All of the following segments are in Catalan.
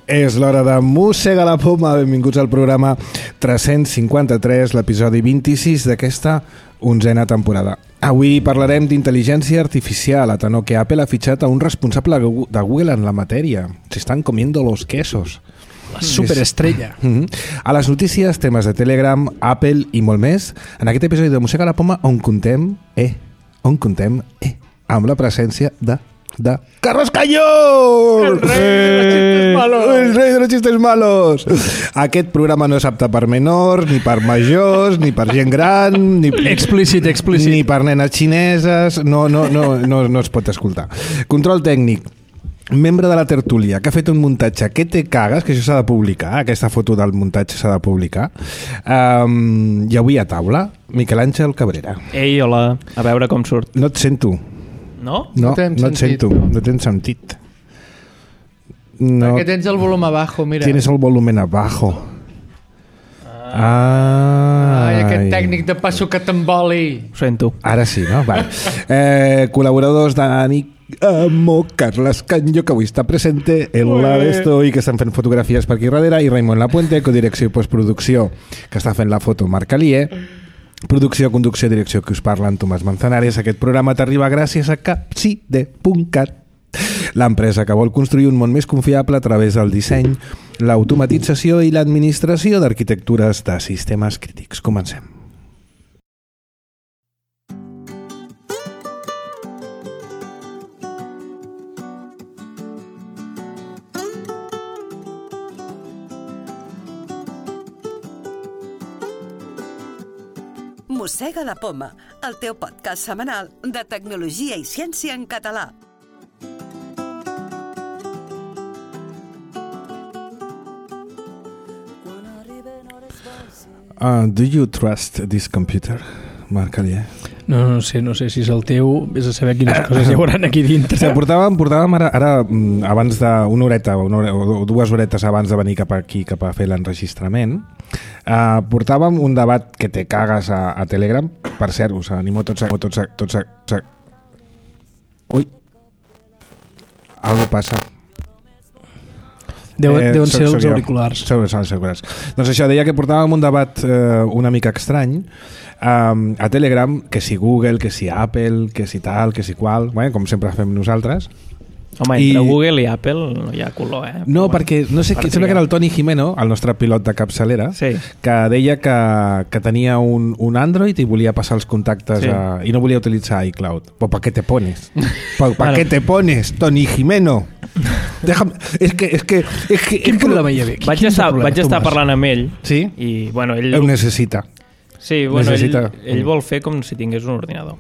És l'hora de Mossega la Poma. Benvinguts al programa 353, l'episodi 26 d'aquesta 11a temporada. Avui parlarem d'intel·ligència artificial, a tenor que Apple ha fitxat a un responsable de Google en la matèria. Se están comiendo los quesos. La superestrella. A les notícies, temes de Telegram, Apple i molt més, en aquest episodi de Mossega la Poma on contem amb la presència de Carlos Cañón! El rei de los chistes malos! Aquest programa no és apte per menors, ni per majors, ni per gent gran, ni explícit. Ni per nenes xineses, no es pot escoltar. Control tècnic. Membre de la tertúlia que ha fet un muntatge que te cagues, que això s'ha de publicar, aquesta foto del muntatge s'ha de publicar. I avui a taula, Miquel Àngel Cabrera. Ei, hola, a veure com surt. No et sento. No? No et sento, no tens sentit. No. Perquè tens el volum abajo, mira. Tienes el volumen abajo. Ai, aquest tècnic de passo que t'emboli. Ho sento. Ara sí, no? Vale. Col·laboradors d'Anic Carles Cañó, que avui està presente en la d'esto i que estan fent fotografies per aquí darrere, i Raimon Lapuente, codirecció i postproducció, que està fent la foto Marc Alier. Producció, conducció, direcció, que us parla en Tomàs Manzanares. Aquest programa t'arriba gràcies a capcide.cat, l'empresa que vol construir un món més confiable a través del disseny, l'automatització i l'administració d'arquitectures de sistemes crítics. Comencem. Mossega la Poma, el teu podcast setmanal de tecnologia i ciència en català. Do you trust this computer, Marc Alier? No sé si és el teu, vés a saber quines coses hi haurà aquí dintre. Sí, portàvem ara abans d'una horeta o 2 horetes abans de venir cap aquí, cap a fer l'enregistrament, portàvem un debat que te cagues a Telegram. Per cert, us animo tots a... Ui, algo passa. Deuen ser els auriculars. Doncs això, deia que portàvem un debat una mica estrany a Telegram, que si Google, que si Apple, que si tal, que si qual, com sempre fem nosaltres. Home, entre Google i Apple no hi ha color, No, perquè no sé, sembla que era el Toni Jimeno, el nostre pilot de capçalera, sí, que deia que tenia un Android i volia passar els contactes sí, i no volia utilitzar iCloud. Pues ¿para qué te pones? ¿Para qué te pones, Toni Jimeno? Déjame, es que quin problema hi havia? Vaig estar parlant amb ell, sí? I bueno, ell ho necessita. Sí, bueno, ell vol fer com si tingués un ordinador.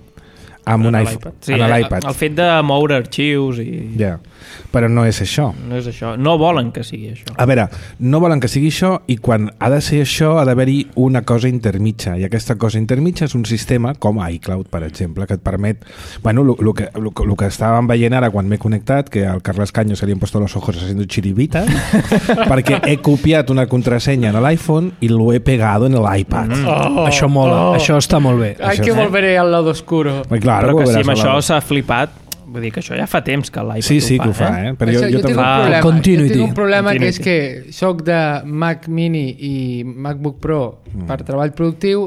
Amb un iPad. Sí, el fet de moure arxius i... Ja, però no és això. No és això. No volen que sigui això. A veure, no volen que sigui això, i quan ha de ser això ha d'haver-hi una cosa intermitja, i aquesta cosa intermitja és un sistema com iCloud, per exemple, que et permet... Bueno, el que estàvem veient ara quan m'he connectat, que al Carles Caño se li han puesto los ojos haciendo chiribitas, perquè he copiat una contrasenya en l'iPhone i lo he pegado en l'iPad. Això mola, això està molt bé. Ai, que volveré al lado oscuro. Però que si amb això s'ha flipat, vull dir que això ja fa temps que l'iPad sí, que ho fa, Però jo tinc un problema. Continuity. Jo tinc un problema que és que soc de Mac Mini i MacBook Pro per treball productiu,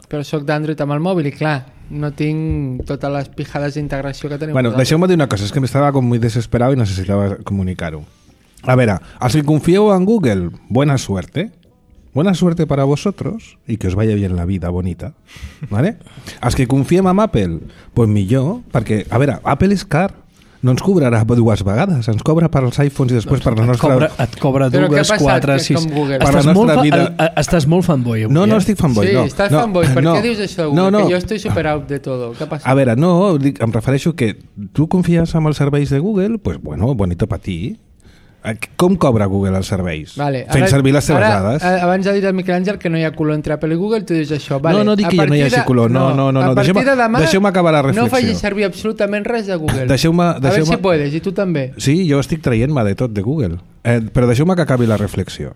però soc d'Android amb el mòbil i clar, no tinc totes les pijades d'integració que tenim. Bueno, deixeu-me dir una cosa, és que estava com muy desesperado y necesitaba comunicar-ho. A veure, els que confieu en Google, buena suerte. Buena suerte para vosotros y que os vaya bien la vida bonita, ¿vale? Els que confiem en Apple, pues millor, perquè, a veure, Apple és car, no ens cobrarà 2 vegades, ens cobra per als iPhones i després per la nostra... Et cobra 2, 4, 6... Per la nostra vida... Estàs molt fanboy avui, No estic fanboy, no. Sí, estàs fanboy. Per què dius això, Google? Que jo estic super out de todo. Què passa? A veure, no, em refereixo que tu confies en els serveis de Google, pues bueno, bonito para ti. Com cobra Google els serveis? Vale, fent servir les seves dades. Abans ha dit el Miquel Àngel que no hi ha color entre Apple i Google, tu dius això. Vale, no dic que ja no hi hagi color. No. A partir de demà deixeu-me acabar la reflexió. No facis servir absolutament res de Google. A veure si puedes, i tu també. Sí, jo estic traient-me de tot de Google. Però deixeu-me que acabi la reflexió.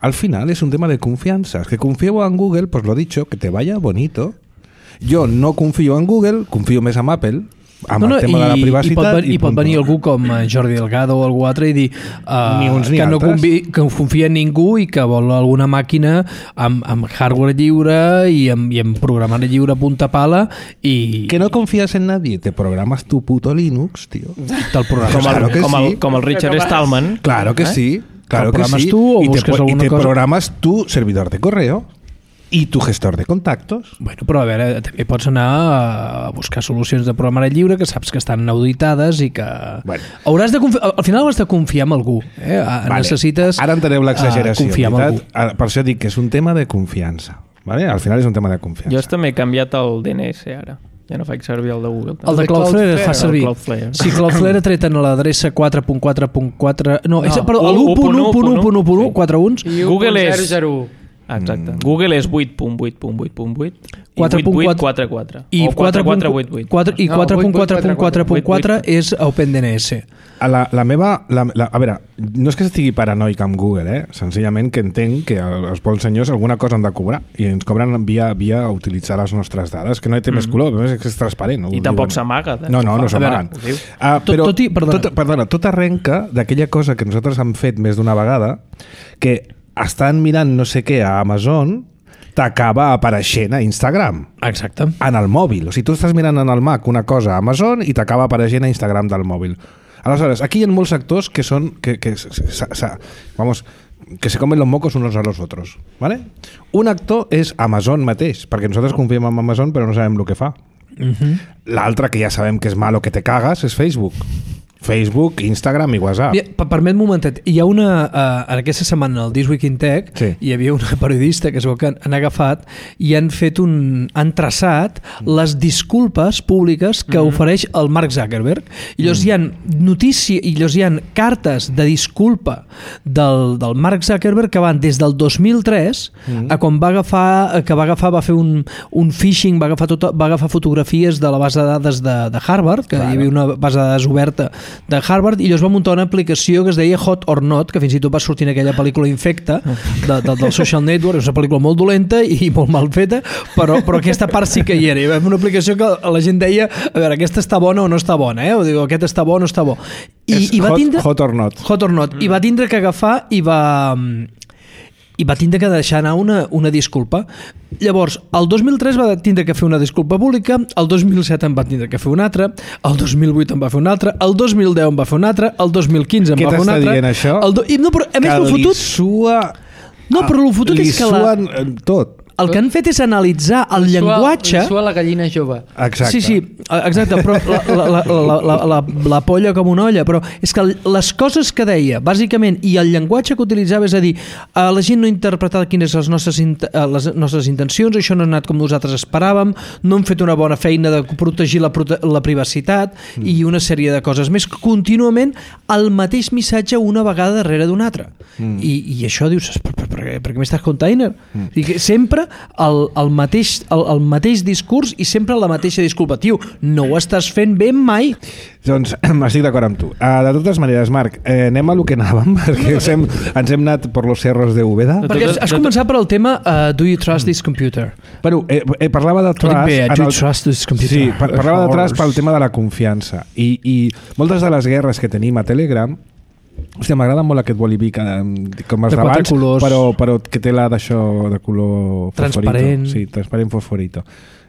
Al final es un tema de confianza. Es que confío en Google, pues lo dicho, que te vaya bonito. Yo no confío en Google, confío més en Apple. amb el tema de la privacitat. I pot venir algú com Jordi Delgado o algú altre i dir ni uns ni que no altres. que confia en ningú i que vol alguna màquina amb hardware lliure i amb programari lliure a punta pala i... Que no confías en nadie, te programas tu puto Linux, tío. Del programa. Claro que sí. Com el Richard Stallman. Claro que sí. Claro que programas sí. tú o y buscas te alguna cosa? programas tu servidor de correo y tu gestor de contactos. Bueno, però a veure, també pots anar a buscar solucions de programari lliure que saps que estan auditades i que... Bueno. Hauràs de al final hauràs de confiar en algú. Vale. Necessites Ara enteneu l'exageració. confiar en algú. Per això dic que és un tema de confiança. Vale? Al final és un tema de confiança. Jo també he canviat el DNS ara. Ja no faig servir el de Google. El de Cloudflare es fa servir. Cloudflare. Si Cloudflare ha tret en l'adreça 4.4.4... No, perdó, u- l'1.1.1.1, 4 uns. I Google és- 1.001. Exacte. Google és 8.8.8.8 i 4.4 8.844. O 4.4.8.8. I 4.4.4.4 és OpenDNS. La meva... a veure, no és que estigui paranoic amb Google, senzillament que entenc que els bons senyors alguna cosa han de cobrar i ens cobren via utilitzar les nostres dades, que no té més color, però és que és transparent. No? I tampoc s'amaga. No s'amaguen. Però tot arrenca d'aquella cosa que nosaltres hem fet més d'una vegada, que estan mirant no sé què a Amazon, t'acaba apareixent a Instagram. Exacte. En el mòbil. O sigui, tu estàs mirant en el Mac una cosa a Amazon i t'acaba apareixent a Instagram del mòbil. Aleshores, aquí hi ha molts sectors que són... que se comen los mocos unos a los otros. ¿Vale? Un actor és Amazon mateix, perquè nosaltres confiem en Amazon però no sabem el que fa. L'altre, que ja sabem que és malo que te cagas, és Facebook. Facebook, Instagram i WhatsApp. Permet-me un momentet. Hi ha una... en aquesta setmana, al This Week in Tech, hi havia una periodista que es veu que han agafat i han fet han traçat les disculpes públiques que ofereix el Mark Zuckerberg. I llavors hi ha llavors hi ha cartes de disculpa del Mark Zuckerberg que van des del 2003 a quan va fer un phishing, va agafar fotografies de la base de dades de Harvard, que hi havia una base de dades oberta de Harvard, i llavors va muntar una aplicació que es deia Hot or Not, que fins i tot va sortir en aquella pel·lícula Infecta del Social Network. És una pel·lícula molt dolenta i molt mal feta, però aquesta part sí que hi era. Hi va una aplicació que la gent deia, a veure, aquesta està bona o no està bona, o diu, aquest està bo o no està bo. I va tindre... Hot or Not. Hot or Not. I va tindre que agafar i va tindre que deixar anar una disculpa. Llavors, el 2003 va tindre que fer una disculpa pública, el 2007 en va tindre que fer una altra, el 2008 en va fer una altra, el 2010 en va fer una altra, el 2015 en va fer una altra... Què t'està dient això? No, però a més el fotut... No, però el fotut és que tot. El que han fet és analitzar el llenguatge... Li sua la gallina jove. Exacte. Sí, exacte, però la polla com una olla, però és que les coses que deia, bàsicament, i el llenguatge que utilitzava, és a dir, la gent no ha interpretat quines les nostres intencions, això no ha anat com nosaltres esperàvem, no hem fet una bona feina de protegir la privacitat i una sèrie de coses més, contínuament el mateix missatge una vegada darrere d'una altra. I això dius, per què m'estàs container? Sempre el mateix discurs i sempre la mateixa disculpa. Tio, no ho estàs fent bé mai. Doncs estic d'acord amb tu. De totes maneres, Marc, anem a lo que anàvem, perquè ens hem anat per los cerros de Úbeda. Perquè has començat per el tema Do you trust this computer? Bueno, parlava de trust... Do you trust this computer? Sí, parlava de trust pel tema de la confiança. I moltes de les guerres que tenim a Telegram... Hòstia, m'agrada molt aquest boliví com els de d'abans, però que té la d'això de color transparent. Fosforito. Sí, transparent fosforito.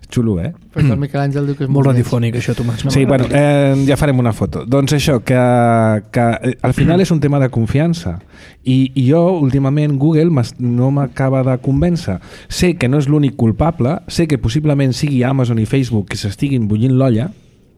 Xulo, Però el Miquel Àngel diu que és molt radiofònic, això, Tomàs. Sí, bueno, ja farem una foto. Doncs això, que al final és un tema de confiança. I jo, últimament, Google no m'acaba de convèncer. Sé que no és l'únic culpable, sé que possiblement sigui Amazon i Facebook que s'estiguin bullint l'olla,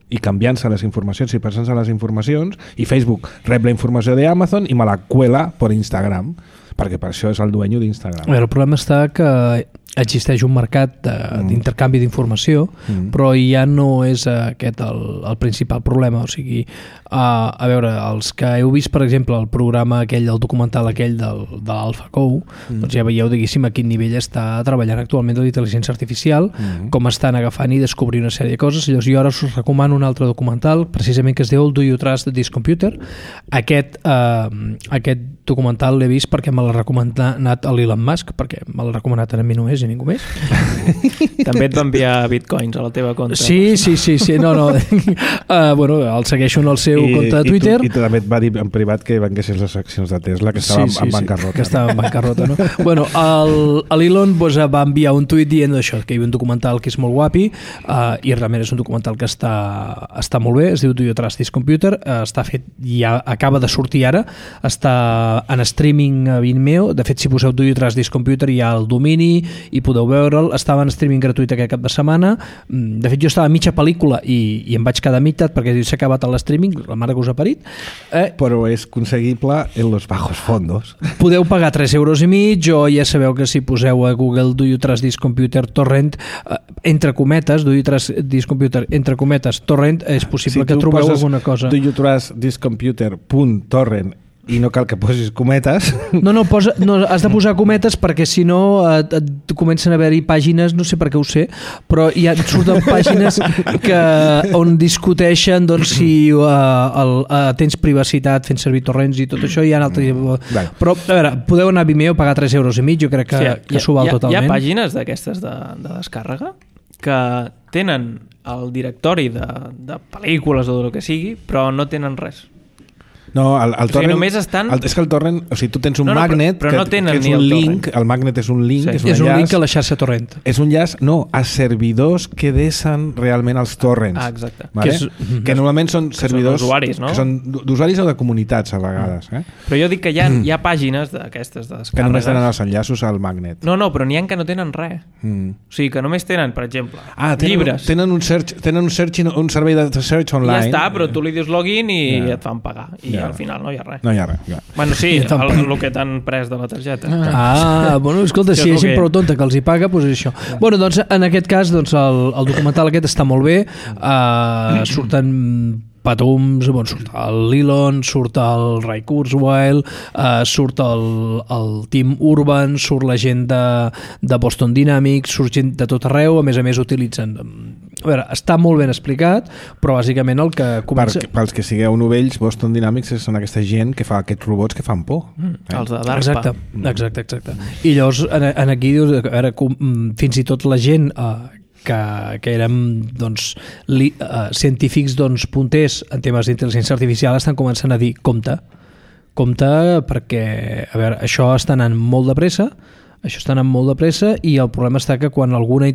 i canviant-se les informacions i passant-se les informacions, i Facebook rep la informació d'Amazon i me la cuela per Instagram, perquè per això és el dueño d'Instagram. El problema està que existeix un mercat d'intercanvi d'informació, però ja no és aquest el principal problema. O sigui, a veure, els que heu vist, per exemple, el programa aquell, el documental aquell de l'AlphaGo, doncs ja veieu, diguéssim, a quin nivell està treballant actualment la intel·ligència artificial, com estan agafant i descobrint una sèrie de coses. Llavors jo ara us recomano un altre documental, precisament que es diu Do You Trust This Computer? Aquest documental l'he vist perquè me l'ha recomanat l'Elon Musk, perquè me l'ha recomanat a mi només, ningú més. També et va enviar bitcoins a la teva compte. Sí. No. Bueno, el segueixo en el seu compte de Twitter. I també et va dir en privat que venguessis les accions de Tesla, que estava en bancarrota. Que estava en bancarrota, no? Bueno, l'Elon va enviar un tuit dient això, que hi havia un documental que és molt guapi, i realment és un documental que està molt bé, es diu Do You Trust This Computer, està fet, ja acaba de sortir ara, està en streaming a Vimeo. De fet, si poseu Do You Trust This Computer hi ha el domini i podeu veure'l. Estava en streaming gratuït aquest cap de setmana. De fet, jo estava a mitja pel·lícula i em vaig quedar a meitat perquè s'ha acabat l'streaming, la mare que us ha parit. Però és conseguible en los bajos fondos. Podeu pagar 3,5 €, o ja sabeu que si poseu a Google Do You Trust This Computer Torrent, entre cometes, Do You Trust This Computer, entre cometes, Torrent, és possible que trobeu alguna cosa. Do You Trust This Computer.torrent i no cal que posis cometes. No, has de posar cometes perquè si no et comencen a haver-hi pàgines, no sé per què ho sé, però ja et surten pàgines on discuteixen doncs, si tens privacitat fent servir torrents i tot això, hi ha altres... Però, a veure, podeu anar a Vimeo, pagar 3,5 €, jo crec que s'ho val totalment. Hi ha pàgines d'aquestes de descàrrega que tenen el directori de pel·lícules o del que sigui, però no tenen res. No, el torrent, o sigui, només estan... és que el torrent, o sigui, tu tens un magnet però no tenen que és un link, el magnet és un link, és un link a la xarxa torrent. És un llaç, a servidors que desen realment els torrents. Exacte. Vale? Que normalment són servidors d'usuaris, no? Que són d'usuaris o de comunitats a vegades. Però jo dic que hi ha pàgines d'aquestes de descàrregues que només tenen els enllaços al magnet. No, però n'hi ha que no tenen res. O sigui, que només tenen, per exemple, llibres. Tenen un servei de search online. Ja està, però tu li dius login i et fan pagar. I al final no hi ha res. No hi ha res. Bueno, sí, el que t'han pres de la targeta. Bueno, escolta, si hi ha gent prou tonta que els hi paga, doncs és això. Bueno, doncs en aquest cas el documental aquest està molt bé. Surten petums, surt l'Elon, surt el Ray Kurzweil, surt el Tim Urban, surt la gent de Boston Dynamics, surt gent de tot arreu, a més utilitzen... A veure, està molt ben explicat, però bàsicament el que comença... Pels que sigueu novells, Boston Dynamics són aquesta gent que fa aquests robots que fan por. Els de DARPA. Exacte. I llavors, aquí dius, a veure, fins i tot la gent... que érem científics punters en temes d'intel·ligència artificial estan començant a dir compte perquè a veure, això està anant molt de pressa i el problema està que quan algun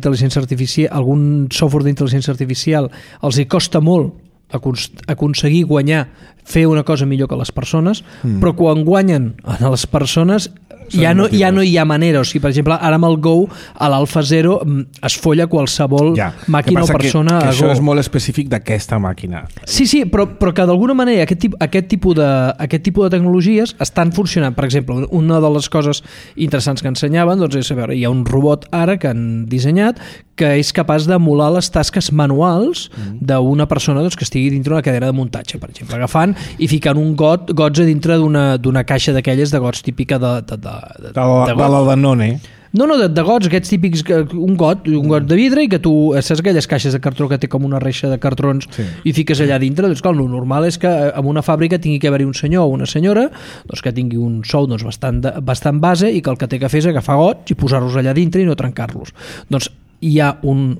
software d'intel·ligència artificial els hi costa molt aconseguir guanyar, fer una cosa millor que les persones, però quan guanyen a les persones ja no hi ha manera. O sigui, per exemple, ara amb el Go, a l'Alpha Zero es folla qualsevol màquina o persona que a Go. Això és molt específic d'aquesta màquina. Sí, però que d'alguna manera aquest tipus de tecnologies estan funcionant. Per exemple, una de les coses interessants que ensenyaven és, a veure, hi ha un robot ara que han dissenyat que és capaç d'emular les tasques manuals d'una persona que estigui dintre d'una cadena de muntatge, per exemple, agafant i ficant gots a dintre d'una caixa d'aquelles de gots típica de la Danone. No, de gots, aquests típics, un got de vidre i que tu, saps aquelles caixes de cartró que té com una reixa de cartrons i fiques allà dintre, doncs clar, el normal és que en una fàbrica tingui que haver-hi un senyor o una senyora que tingui un sou bastant base i que el que té que fer és agafar gots i posar-los allà dintre i no trencar-los. Doncs hi ha un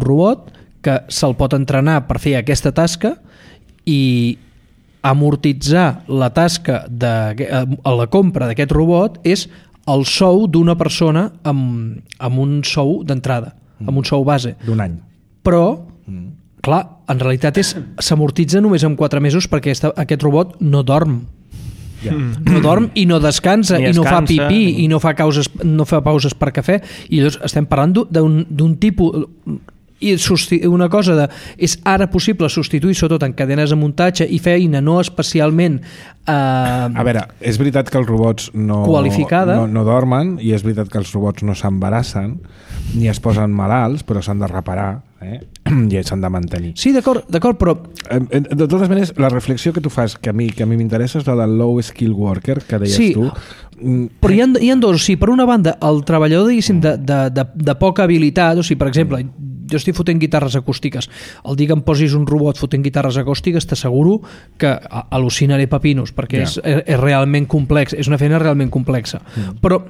robot que se'l pot entrenar per fer aquesta tasca i amortitzar la tasca a la compra d'aquest robot és el sou d'una persona amb un sou d'entrada, amb un sou base. D'un any. Però, clar, en realitat s'amortitza només en 4 mesos perquè aquest robot no dorm. No dorm i no descansa i no fa pipí i no fa pauses per cafè, i llavors estem parlant d'un tipus... I una cosa és ara possible substituir sobretot en cadenes de muntatge i feina no especialment a veure, és veritat que els robots no dormen i és veritat que els robots no s'embarassen ni es posen malalts, però s'han de reparar i s'han de mantenir. Sí, d'acord, però... De totes maneres, la reflexió que tu fas, que a mi m'interessa, és la del low skill worker, que deies tu. Però hi ha dos. O sigui, per una banda, el treballador, diguéssim, de poca habilitat, o sigui, per exemple, jo estic fotent guitarres acústiques, el dia que em posis un robot fotent guitarres acústiques t'asseguro que al·lucinaré pepinos perquè és realment complex, és una feina realment complexa, però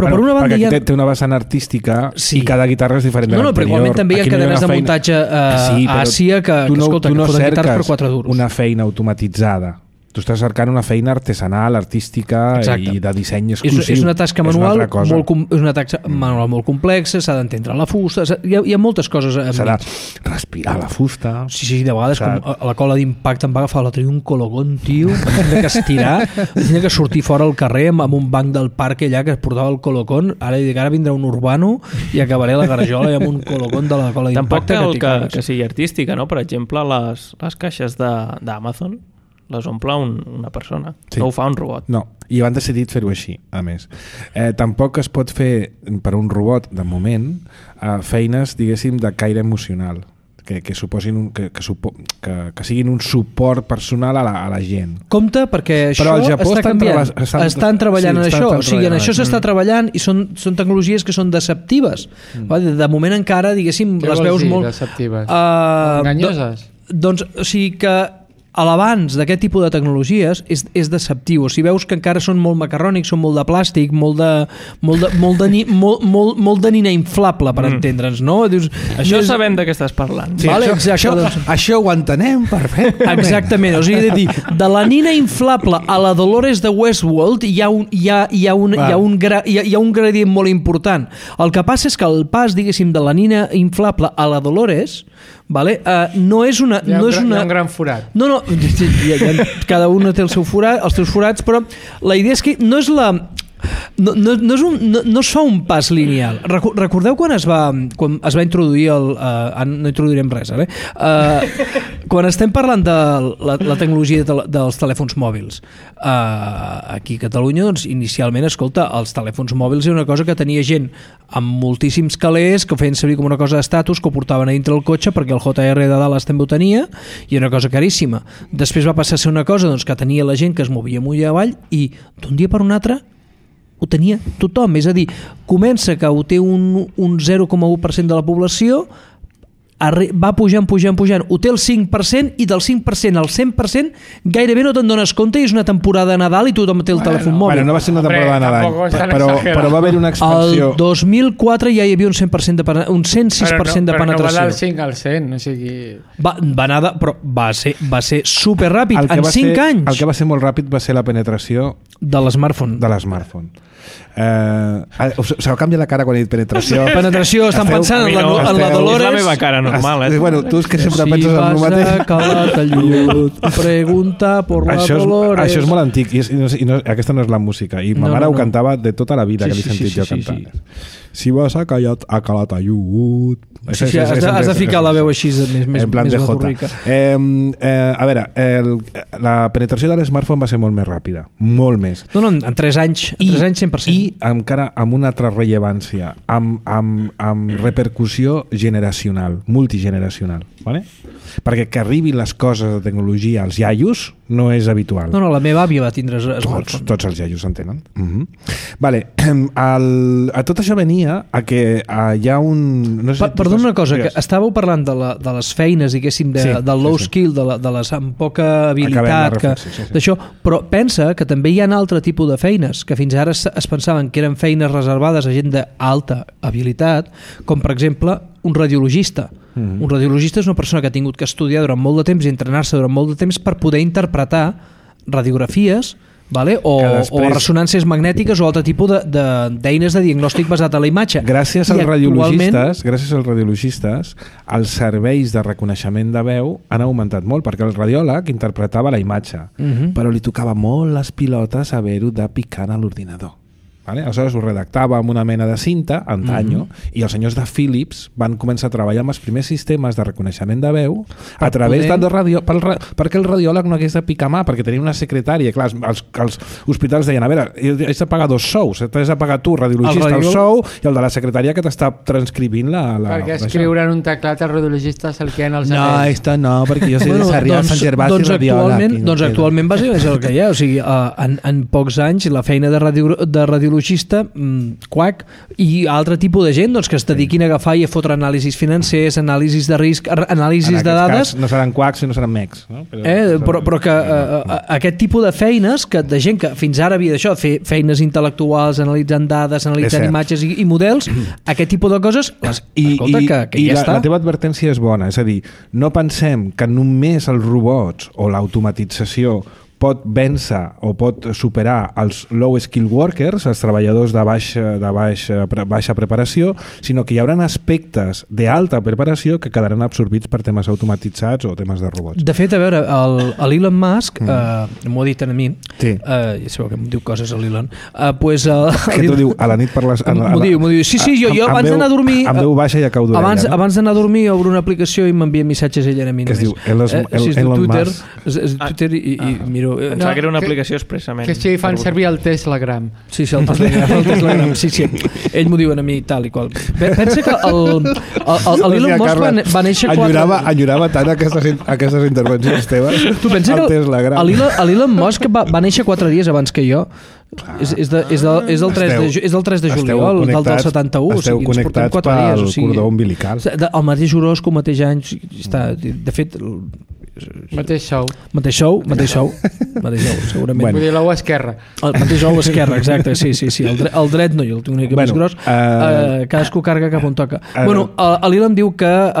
Però per una banda perquè té una vessant artística i cada guitarra és diferent de l'anterior. Però igualment també hi ha cadenes de muntatge a Àsia que escolta, que foten guitarres per 4 duros. Una feina automatitzada. Tu estàs cercant una feina artesanal, artística i de disseny exclusiu. És una tasca manual molt complexa, s'ha d'entendre la fusta, hi ha moltes coses. S'ha de respirar la fusta. Sí, de vegades com a la cola d'impacte em va agafar la un cologón, tio, tenia que estirar, tenia que sortir fora al carrer amb un banc del parc allà que es portava el colocón, ara vindrà un urbano i acabaré la garjola amb un cologón de la cola d'impacte. Tampoc cal que sigui artística, no? Per exemple, les caixes d'Amazon les omple una persona, no ho fa un robot. No, i han decidit fer-ho així, a més. Tampoc es pot fer per un robot, de moment, feines, diguéssim, de caire emocional, que suposin que siguin un suport personal a la gent. Compte, perquè això està canviant. Estan treballant en això. O sigui, en això s'està treballant i són tecnologies que són deceptives. De moment encara, diguéssim, les veus molt... deceptives? Enganyoses? Doncs, o sigui que a l'abans d'aquest tipus de tecnologies és deceptiu. Si veus que encara són molt macarrònics, són molt de plàstic, molt de nina inflable, per entendre'ns, no? Dius, això sabem de què estàs parlant. Sí, vale, això ho entenem perfectament. Exactament, o sigui, de la nina inflable a la Dolores de Westworld hi ha un gradient molt important. El que passa és que el pas, diguéssim, de la nina inflable a la Dolores, vale, no és una... Hi ha un gran forat. No, cada un té els teus forats, però la idea és que no és la... No es fa un pas lineal. Recordeu quan es va introduir no introduirem res quan estem parlant de la tecnologia dels telèfons mòbils aquí a Catalunya, doncs inicialment, escolta, els telèfons mòbils era una cosa que tenia gent amb moltíssims calés que ho feien servir com una cosa d'estatus, que ho portaven a dintre el cotxe perquè el JR de Dallas també ho tenia i era una cosa caríssima. Després va passar a ser una cosa que tenia la gent que es movia amunt i avall i d'un dia per un altre ho tenia tothom, és a dir, comença que ho té un 0,1% de la població, va pujant, ho té el 5% i del 5% al 100% gairebé no te'n dones compte i és una temporada de Nadal i tothom té el telèfon mòbil. Bueno, no va ser una temporada de Nadal, però va haver una expansió. El 2004 ja hi havia un 100% un 106% de penetració. Però no va del 5 al 100, o sigui... Va anar, però va ser superràpid, en 5 anys. El que va ser molt ràpid va ser la penetració de l'smartphone. Se canvia la cara quan he dit penetració. Penetració, estan pensant en la Dolores. És la meva cara normal, Bueno, tu és que sempre penses en el mateix. Si vas a Calatayud, pregunta por la Dolores. Això és molt antic i aquesta no és la música i ma mare ho cantava de tota la vida que l'he sentit jo cantant. Si vas a Calatayud. Has de ficar la veu així més baturrica. A veure, la penetració de l'smartphone va ser molt més ràpida, molt més. No, en 3 anys 100%. I encara amb una altra rellevància, amb repercussió generacional, multigeneracional, vale? Perquè que arribin les coses de tecnologia als iaios no és habitual. No, la meva àvia va tindre smartphone. Tots els iaios en tenen. Vale, a tot això venia a que hi ha un... No sé, perdona una cosa, que estàveu parlant de les feines, diguéssim, del low skill, de les amb poca habilitat, d'això, però pensa que també hi ha un altre tipus de feines que fins ara es pensaven que eren feines reservades a gent d'alta habilitat, com per exemple un radiologista. Un radiologista és una persona que ha tingut que estudiar durant molt de temps i entrenar-se durant molt de temps per poder interpretar radiografies, vale? O ressonàncies magnètiques o altre tipus d'eines de diagnòstic basat en la imatge. Gràcies als radiologistes, els serveis de reconeixement de veu han augmentat molt, perquè el radiòleg interpretava la imatge, però li tocava molt les pilotes haver-ho de picar a l'ordinador. Vale? Aleshores ho redactava amb una mena de cinta antanyo i els senyors de Philips van començar a treballar amb els primers sistemes de reconeixement de veu a través de ràdio, perquè el radiòleg no hagués de picar mà, perquè tenia una secretària. Clar, els hospitals deien, a veure, haig de pagar 2 sous, t'has de pagar tu, radiologista, el sou, i el de la secretària que t'està transcrivint perquè escriure en un teclat els radiologistes el que en els anells. No, esto no, perquè jo soy de Sarrià, Sant Gervasi, radiòleg. Doncs actualment va ser el que hi ha, o sigui, en pocs anys la feina de radiologia feixista, quack, i altre tipus de gent doncs, que es dediquin a agafar i a fotre anàlisis financers, anàlisis de risc, anàlisis de dades. No seran quacks i no seran mecs. No? Però que aquest tipus de feines, de gent que fins ara havia d'això, fer feines intel·lectuals, analitzant dades, analitzant imatges i models, aquest tipus de coses, escolta, que ja està. La teva advertència és bona, és a dir, no pensem que només els robots o l'automatització pot vèncer o pot superar els low skill workers, els treballadors de baixa preparació, sinó que hi haurà aspectes d'alta preparació que quedaran absorbits per temes automatitzats o temes de robots. De fet, a veure, l'Elon Musk m'ho ha dit a mi, sí. Ja sabeu que em diu coses a l'Elon, que t'ho diu? A la nit per les... M'ho diu. Sí, jo abans d'anar a dormir... Amb veu baixa i a cau d'orella. Abans d'anar a dormir obro una aplicació i m'envia missatges ella a mi només. Que es diu Elon Musk. És Twitter i miro... Pensava que era una aplicació expressament. Que sí, fan servir el Teslagram. Sí, el Teslagram. Sí. Ell m'ho diuen a mi tal i qual. Pensa que l'Elon Musk va néixer... Enyorava tant aquestes intervencions teves. Tu pensa que l'Elon Musk va néixer 4 dies abans que jo. És del 3 de juliol del 71. Esteu connectats pel cordó umbilical. El mateix horòscop, mateix any. De fet... Mateix sou, segurament. Bueno. Vull dir, l'ou esquerra. El mateix ou esquerra, exacte, sí. El dret no, jo el tinc una mica més gros. Cadascú carga cap on toca. L'Elon diu que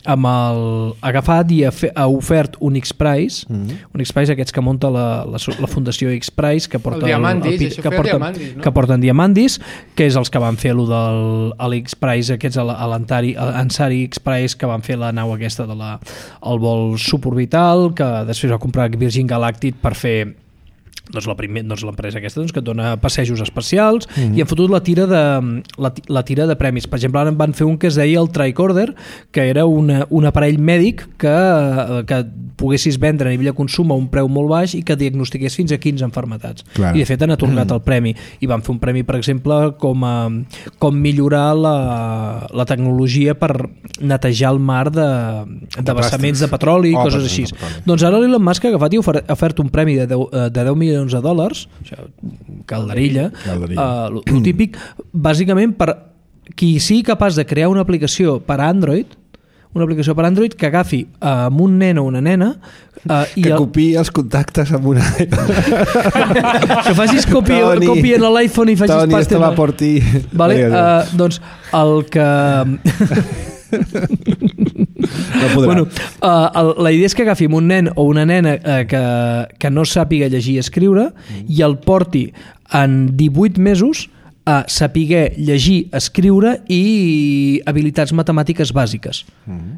amb el agafat i ha ofert un X-Prize, un X-Prize aquests que munta la Fundació X-Prize, que porta que porten Diamandis, que és els que van fer l'X-Prize, aquests l'Ansari X-Prize, que van fer la nau aquesta el vol suborbital, que després va comprar Virgin Galactic per fer l'empresa aquesta que et dona passejos espacials i han fotut la tira de premis. Per exemple, ara en van fer un que es deia el Tricorder, que era un aparell mèdic que poguessis vendre a nivell de consum a un preu molt baix i que diagnostiqués fins a 15 enfermetats. Clar. I de fet han atorgat el premi. I van fer un premi, per exemple, com millorar la tecnologia per netejar el mar de vessaments de petroli i coses així. Doncs ara l'Elon Musk ha agafat i ha ofert un premi de 10 milions de dòlars, calderilla, el típic, bàsicament per qui sigui capaç de crear una aplicació per Android, que agafi amb un nen o una nena que copiï els contactes amb una... que facis còpia en l'iPhone i facis Toni, esto va por ti. Vale? Doncs el que... la idea és que agafi un nen o una nena que no sàpiga llegir i escriure i el porti en 18 mesos a saber llegir, escriure i habilitats matemàtiques bàsiques.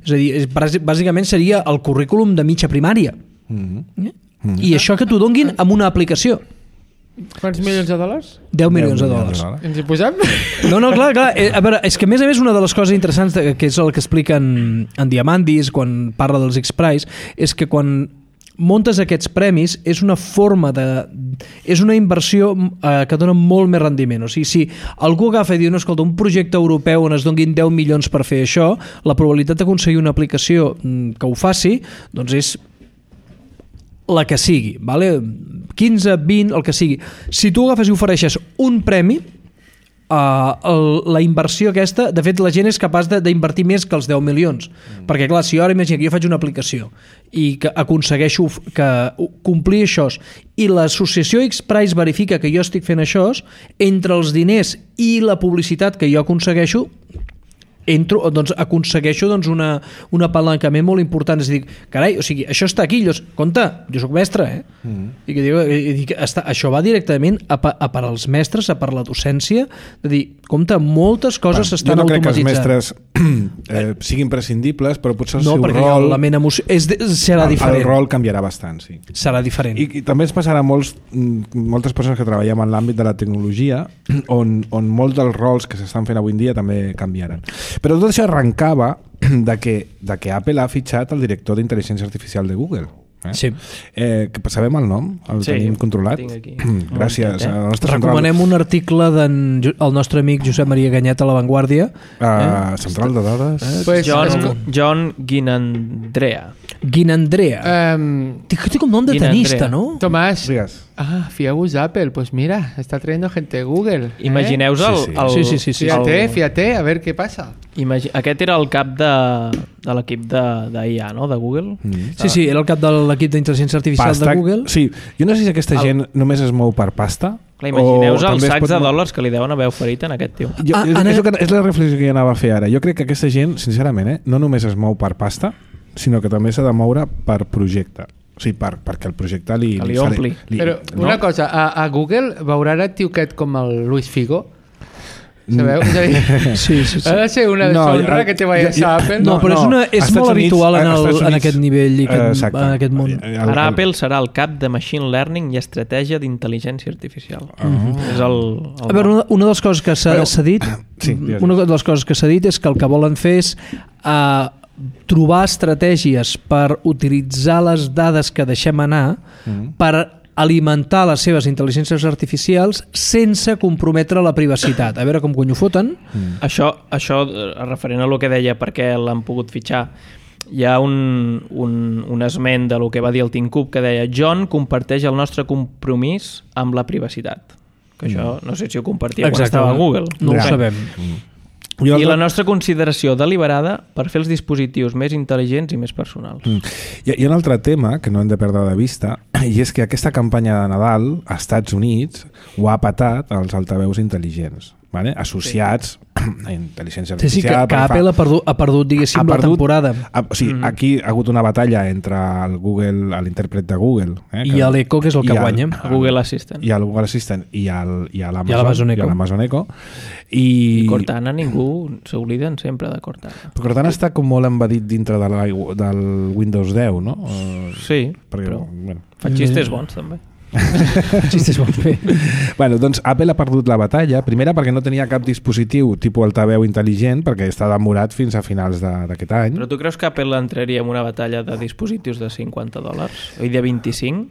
És a dir, bàsicament seria el currículum de mitja primària. I això que t'ho donguin amb una aplicació. Quants milions de dòlars? 10 milions de dòlars. Ens hi posem? No, clar. A veure, és que a més una de les coses interessants que és el que explica en Diamandis quan parla dels X-Prize és que quan montes aquests premis és una forma és una inversió que dona molt més rendiment. O sigui, si algú agafa i diu, no, escolta, un projecte europeu on es donguin 10 milions per fer això, la probabilitat d'aconseguir una aplicació que ho faci, doncs és la que sigui, vale? 15, 20, el que sigui. Si tu agafes i ofereixes un premi, la inversió aquesta, de fet la gent és capaç d'invertir més que els 10 milions, perquè clar, si jo ara imagino que jo faig una aplicació i que aconsegueixo que complir això i l'associació X-Prize verifica que jo estic fent això, entre els diners i la publicitat que jo aconsegueixo aconsegueixo un apalancament molt important. És a dir, carai, o sigui, això està aquí, compte, jo soc mestre, i que dic, això va directament a per als mestres, a per la docència, de dir, compte, moltes coses s'estan automatitzant. Jo no crec que els mestres siguin prescindibles, però potser el seu rol... No, perquè l'element serà diferent. El rol canviarà bastant, sí. Serà diferent. I també ens passarà moltes persones que treballem en l'àmbit de la tecnologia, on molts dels rols que s'estan fent avui en dia també canviaran. Però tot això arrencava de que Apple ha fitxat el director d'intel·ligència artificial de Google. Sí. Sabem el nom? El tenim controlat? Gràcies. Recomanem un article del nostre amic Josep Maria Ganyet a La Vanguardia. Central de dades. John Ginandrea. Té com nom de tenista, no? Tomàs, fieu-vos Apple. Pues mira, está trayendo gente de Google. Imagineu-vos Sí. Fíjate, a ver què passa. Aquest era el cap de l'equip d'IA, no? De Google. Sí, era el cap de l'equip d'intel·ligència artificial de Google. Sí, jo no sé si aquesta gent només es mou per pasta. Clar, imagineu-vos els sacs de dòlars que li deuen haver oferit en aquest tio. És la reflexió que jo anava a fer ara. Jo crec que aquesta gent, sincerament, no només es mou per pasta, sinó que també s'ha de moure per projecte. O sigui, perquè el projecte li ompli. Però una cosa, a Google veurà el tio aquest com el Luis Figo? Sabeu? És a dir, sí. ha de ser una deshonra que te vayas a Apple. No, però és molt habitual en aquest nivell i en aquest món. Ara Apple serà el cap de Machine Learning i estratègia d'intel·ligència artificial. És el... A veure, una de les coses que s'ha dit és que el que volen fer és trobar estratègies per utilitzar les dades que deixem anar per alimentar les seves intel·ligències artificials sense comprometre la privacitat. A veure com ho foten. Això referent a el que deia per què l'han pogut fitxar, hi ha un esment de lo que va dir el Tim Cook que deia: John comparteix el nostre compromís amb la privacitat. Que això no sé si ho compartia quan estava a Google. No ho sabem. I la nostra consideració deliberada per fer els dispositius més intel·ligents i més personals. Hi ha un altre tema que no hem de perdre de vista, i és que aquesta campanya de Nadal als Estats Units ho ha patat als altaveus intel·ligents, vale? Associats a intel·ligència artificial. Sí, que Apple ha perdut, diguéssim, la temporada. O sigui, aquí ha hagut una batalla entre l'intèrpret de Google i l'Echo, que és el que guanya. Google Assistant. I el Google Assistant i l'Amazon Echo. I Cortana, ningú s'obliden sempre de Cortana. Però Cortana està com molt embedit dintre del Windows 10, no? Sí, però fa xistes bons també. Bueno, doncs Apple ha perdut la batalla, primera perquè no tenia cap dispositiu tipus altaveu intel·ligent, perquè està demorat fins a finals d'aquest any. Però tu creus que Apple entraria en una batalla de dispositius de $50 o de 25?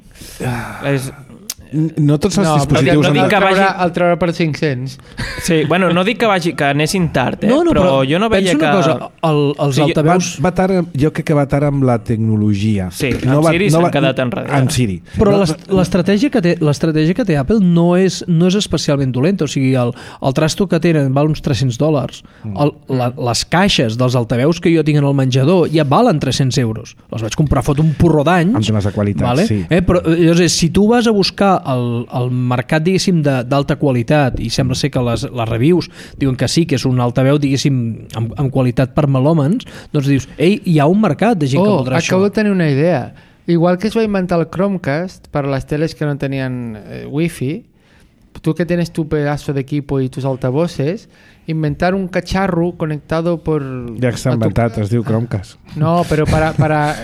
No tots els dispositius... No dic que el treure per 500. Sí, bueno, no dic que anessin tard, però jo no veia que... Penso una cosa, els altaveus... Jo crec que va tard amb la tecnologia. Sí, amb Siri s'han quedat enrere. Amb Siri. Però l'estratègia que té Apple no és especialment dolenta. O sigui, el trasto que tenen val uns $300. Les caixes dels altaveus que jo tinc en el menjador ja valen €300. Les vaig comprar fot un porró d'anys. Amb temes de qualitat, sí. Però llavors, si tu vas a buscar el mercat, diguéssim, d'alta qualitat, i sembla ser que les reviews diuen que sí, que és un altaveu, diguéssim, amb qualitat per melòmens, doncs dius, ei, hi ha un mercat de gent que voldrà això. Acabo de tenir una idea. Igual que es va inventar el Chromecast per a les teles que no tenien wifi, tú que tienes tu pedazo de equipo y tus altavoces, inventar un cacharro conectado por... Ja està inventat, es diu Chromecast. No, però para...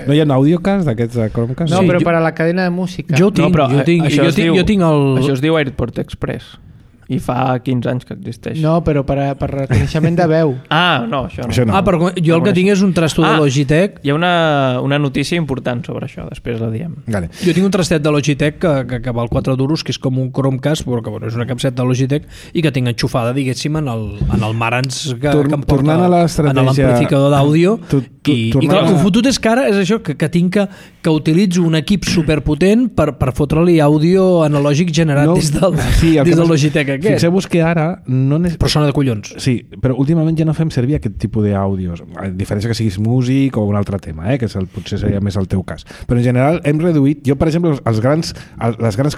No hi ha un audiocast d'aquests de Chromecast? No, però para la cadena de música. Jo tinc el... Això es diu AirPort Express. I fa 15 anys que existeix. No, però per reconeixement de veu. No, això no. Però jo el que tinc és un trasto de Logitech. Hi ha una notícia important sobre això, després la diem. Vale. Jo tinc un trastet de Logitech que val €4, que és com un Chromecast, però que és una capseta de Logitech i que tinc enxufada, diguéssim, en el Marantz que em porta en l'amplificador d'àudio. I clar, el fotut és que ara és això, que tinc que utilitzo un equip superpotent per fotre-li àudio analògic generat des del Logitech. Fixeu-vos que ara però sona de collons. Sí, però últimament ja no fem servir aquest tipus d'àudios, a diferència que siguis músic o un altre tema, que potser seria més el teu cas, però en general hem reduït. Jo, per exemple, les grans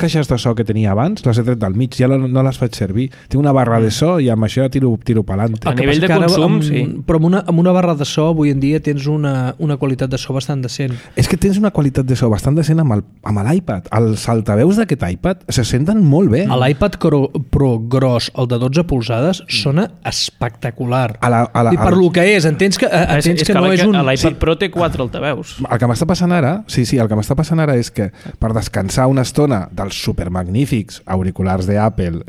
caixes de so que tenia abans les he tret del mig, ja no les faig servir. Tinc una barra de so i amb això tiro pelante. A nivell de consum, sí. Però amb una barra de so avui en dia tens una qualitat de so bastant decent. És que tens una qualitat de so bastant decent amb l'iPad. Els altaveus d'aquest iPad se senten molt bé. L'iPad Pro gros, el de 12 polzades, sona espectacular. I per lo que és, entens que no és un... L'iPad Pro té 4 altaveus. El que m'està passant ara, el que m'està passant ara és que per descansar una estona dels supermagnífics auriculars d'Apple,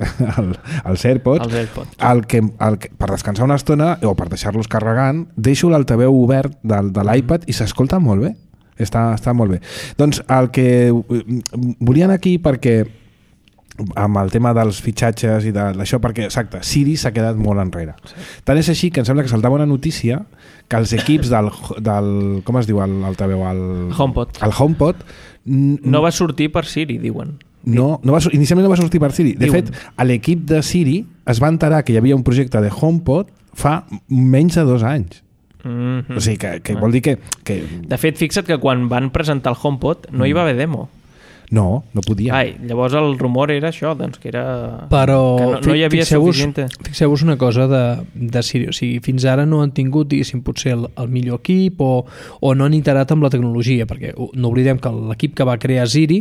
els AirPods, per descansar una estona o per deixar-los carregant, deixo l'altaveu obert de l'iPad i s'escolta molt bé. Està molt bé. Doncs el que volia anar aquí perquè amb el tema dels fitxatges i d'això, perquè, exacte, Siri s'ha quedat molt enrere. Sí. Tant és així que em sembla que saltava una notícia que els equips del com es diu l'altaveu? HomePod. El HomePod no va sortir per Siri, diuen. Inicialment no va sortir per Siri. De fet, a l'equip de Siri es va enterar que hi havia un projecte de HomePod fa menys de 2 anys. O sigui, que vol dir que... De fet, fixa't que quan van presentar el HomePod no hi va haver demo. No podia. Llavors el rumor era això, doncs que era... Però que no hi havia suficient... Fixeu-vos una cosa de Siri, o sigui, fins ara no han tingut, diguéssim, potser el millor equip o no han iterat amb la tecnologia, perquè no oblidem que l'equip que va crear Siri,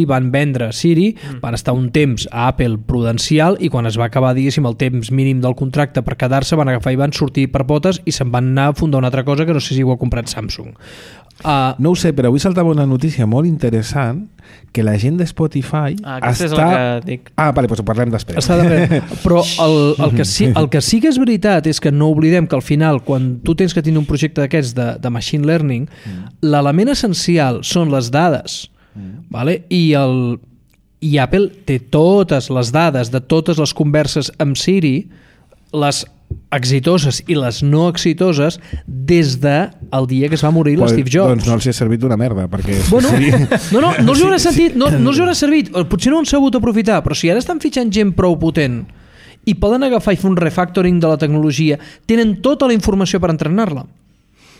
van vendre Siri, van estar un temps a Apple prudencial i quan es va acabar, diguéssim, el temps mínim del contracte per quedar-se, van agafar i van sortir per potes i se'n van anar a fundar una altra cosa que no sé si ho ha comprat Samsung. No ho sé, però avui saltava una notícia molt interessant que la gent de Spotify aquesta és la que dic. Vale, doncs ho parlem després. Però el que sí que és veritat és que no oblidem que al final, quan tu tens que tenir un projecte d'aquests de machine learning, l'element essencial són les dades, vale? I Apple té totes les dades de totes les converses amb Siri, les exitoses i les no exitoses des del dia que es va morir l'Steve Jobs. Doncs no els hi ha servit una merda, perquè... Bueno, no els hi haurà sentit, no els hi haurà servit, potser no han sabut aprofitar, però si ara estan fitxant gent prou potent i poden agafar i fer un refactoring de la tecnologia, tenen tota la informació per entrenar-la.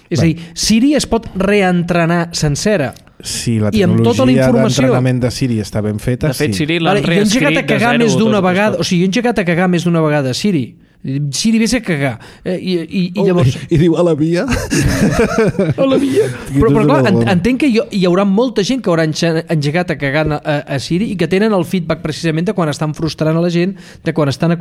És a dir, Siri es pot reentrenar sencera. Si la tecnologia d'entrenament de Siri està ben feta... De fet, Siri l'han reescrit de zero. Jo he engegat a cagar més d'una vegada, o sigui, jo he engegat a cagar més d'una vegada Siri. Siri vés a cagar i llavors... I diu a la via però clar, entenc que hi haurà molta gent que haurà engegat a cagar a Siri i que tenen el feedback precisament de quan estan frustrant a la gent, de quan estan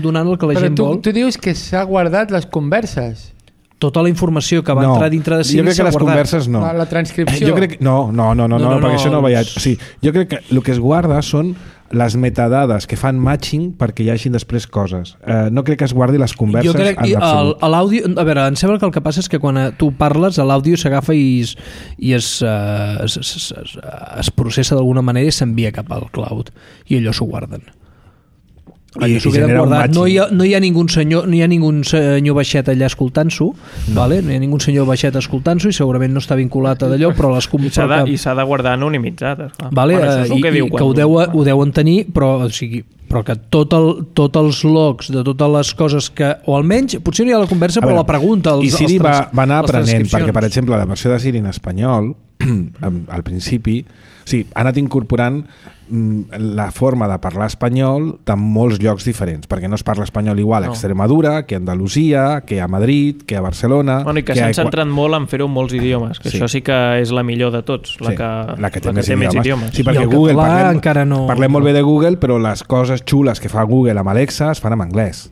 donant el que la gent vol. Però tu dius que s'ha guardat les converses. Tota la informació que va entrar dintre de Siri s'ha guardat. Jo crec que les converses no. La transcripció. Jo crec que no, perquè això no veia. O sigui, jo crec que el que es guarda són les metadades que fan matching perquè hi hagin després coses. No crec que es guardi les converses jo crec, en absolut. L'àudio, a veure, em sembla que el que passa és que quan tu parles, l'àudio s'agafa i es processa d'alguna manera i s'envia cap al cloud i allò s'ho guarden. I no hi ha ningú senyor baixet allà escoltant-s'ho, vale? No hi ha ningú senyor baixet escoltant-s'ho i segurament no està vinculat a d'allò, però les i s'ha de guardar anonimitzat, vale? I que ho deuen tenir, però que tots els logs de totes les coses que, o almenys potser no hi ha la conversa, però la pregunta i Siri va anar aprenent, perquè per exemple la versió de Siri en espanyol al principi, ha anat incorporant la forma de parlar espanyol de molts llocs diferents, perquè no es parla espanyol igual a Extremadura, que a Andalusia, que a Madrid, que a Barcelona... I que s'han centrat molt en fer-ho en molts idiomes, que això sí que és la millor de tots, la que té més idiomes. Sí, perquè Google, parlem molt bé de Google, però les coses xules que fa Google amb Alexa es fan en anglès.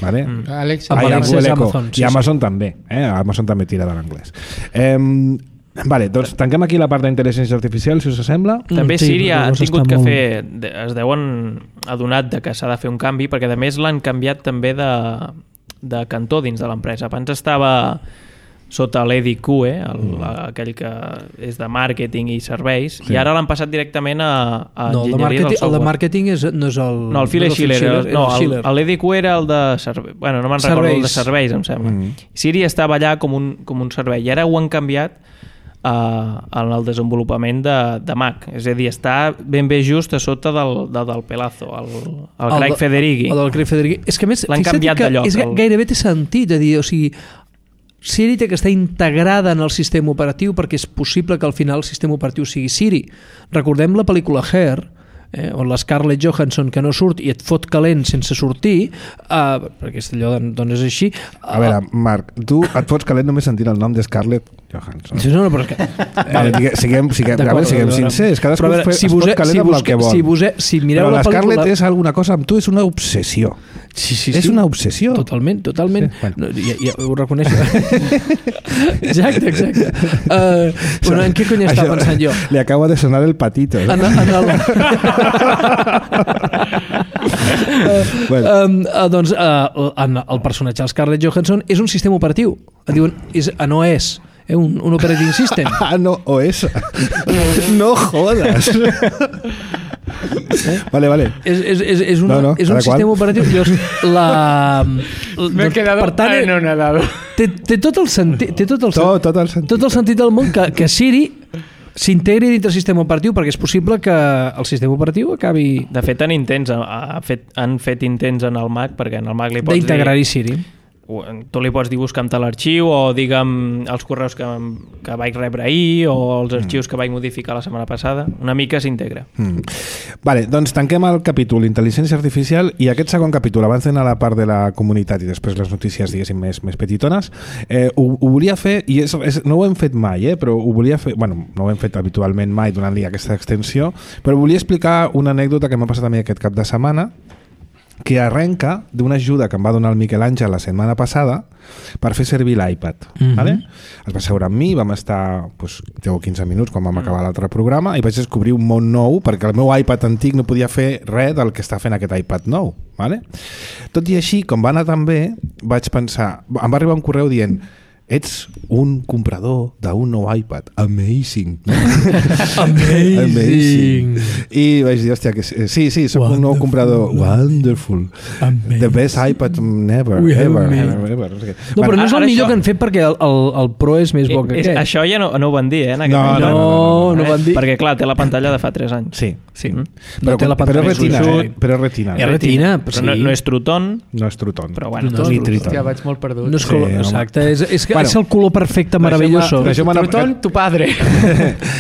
Vale? Alexa és Amazon. I Amazon també. Amazon també tira de l'anglès. Vale, doncs tanquem aquí la part d'intel·ligència artificial, si us sembla. També Siri ha tingut que fer, es deuen adonat de que s'ha de fer un canvi, perquè a més l'han canviat també de cantó dins de l'empresa. Abans estava sota l'Eddie Kue, aquell que és de màrqueting i serveis, i ara l'han passat directament a enginyeria del software. El de màrqueting no és el... No, el Phil Schiller. L'Eddie Kue era el de serveis. Bueno, no me'n recordo, el de serveis, em sembla. Siri estava allà com un servei, i ara ho han canviat en el desenvolupament de Mac, és a dir, està ben bé just a sota del Pelazo, el Craig Federighi. El del Craig Federighi. És que més, l'han canviat de lloc. Gairebé té sentit, a dir, o sigui, Siri té que estar integrada en el sistema operatiu perquè és possible que al final el sistema operatiu sigui Siri. Recordem la pel·lícula Her, on la Scarlett Johansson que no surt i et fot calent sense sortir, perquè allò doncs és així. A veure, Marc, tu et fots calent només sentint el nom de Scarlett Johansson. No, però és que... Siguem sincers, cadascú es fot calent amb el que vol. Però la Scarlett és alguna cosa amb tu, és una obsessió. És una obsessió. Totalment. Ja ho reconeixo. Exacte. Bueno, en què cony estava pensant jo? Li acaba de sonar el patito. Doncs el personatge de Scarlett Johansson és un sistema operatiu. Diuen, no és un operating system. No, OS. No jodes. Vale. És un sistema operatiu. Me he quedado anonadado. Té tot el sentit del món que Siri s'integri dintre el sistema operatiu, perquè és possible que el sistema operatiu acabi... De fet, han fet intents en el Mac, perquè en el Mac li pots dir... d'integrar-hi Siri. Tu li pots dir busca'm tal arxiu o digue'm els correus que vaig rebre ahir o els arxius que vaig modificar la setmana passada. Una mica s'integra. Vale, doncs tanquem el capítol Intel·ligència Artificial i aquest segon capítol, abans d'anar a la part de la comunitat i després les notícies, diguéssim, més petitones, ho volia fer, i no ho hem fet mai, però ho volia fer, bueno, no ho hem fet habitualment mai donant-li aquesta extensió, però volia explicar una anècdota que m'ha passat a mi aquest cap de setmana, que arrenca d'una ajuda que em va donar el Miquel Àngel la setmana passada per fer servir l'iPad. Vale? Es va seure amb mi, vam estar 10 o 15 minuts quan vam acabar l'altre programa i vaig descobrir un món nou perquè el meu iPad antic no podia fer res del que està fent aquest iPad nou. Vale? Tot i així, com va anar tan bé, vaig pensar, em va arribar un correu dient ets un comprador d'un nou iPad. Amazing. Amazing. I vaig dir, hòstia, que sí, soc un nou comprador. Wonderful. Amazing. The best iPad ever. No, però no és el millor que han fet perquè el Pro és més bo que aquest. Això ja no ho van dir, en aquest moment. No van dir. Perquè, clar, té la pantalla de fa 3 anys. Sí. Però és retina. Però és retina. És retina, però no és Truton. No és Truton. Però bueno, ni Triton. Hòstia, vaig molt perdut. No és color, exacte. És que és el color perfecte, meravelloso. Truton, tu padre.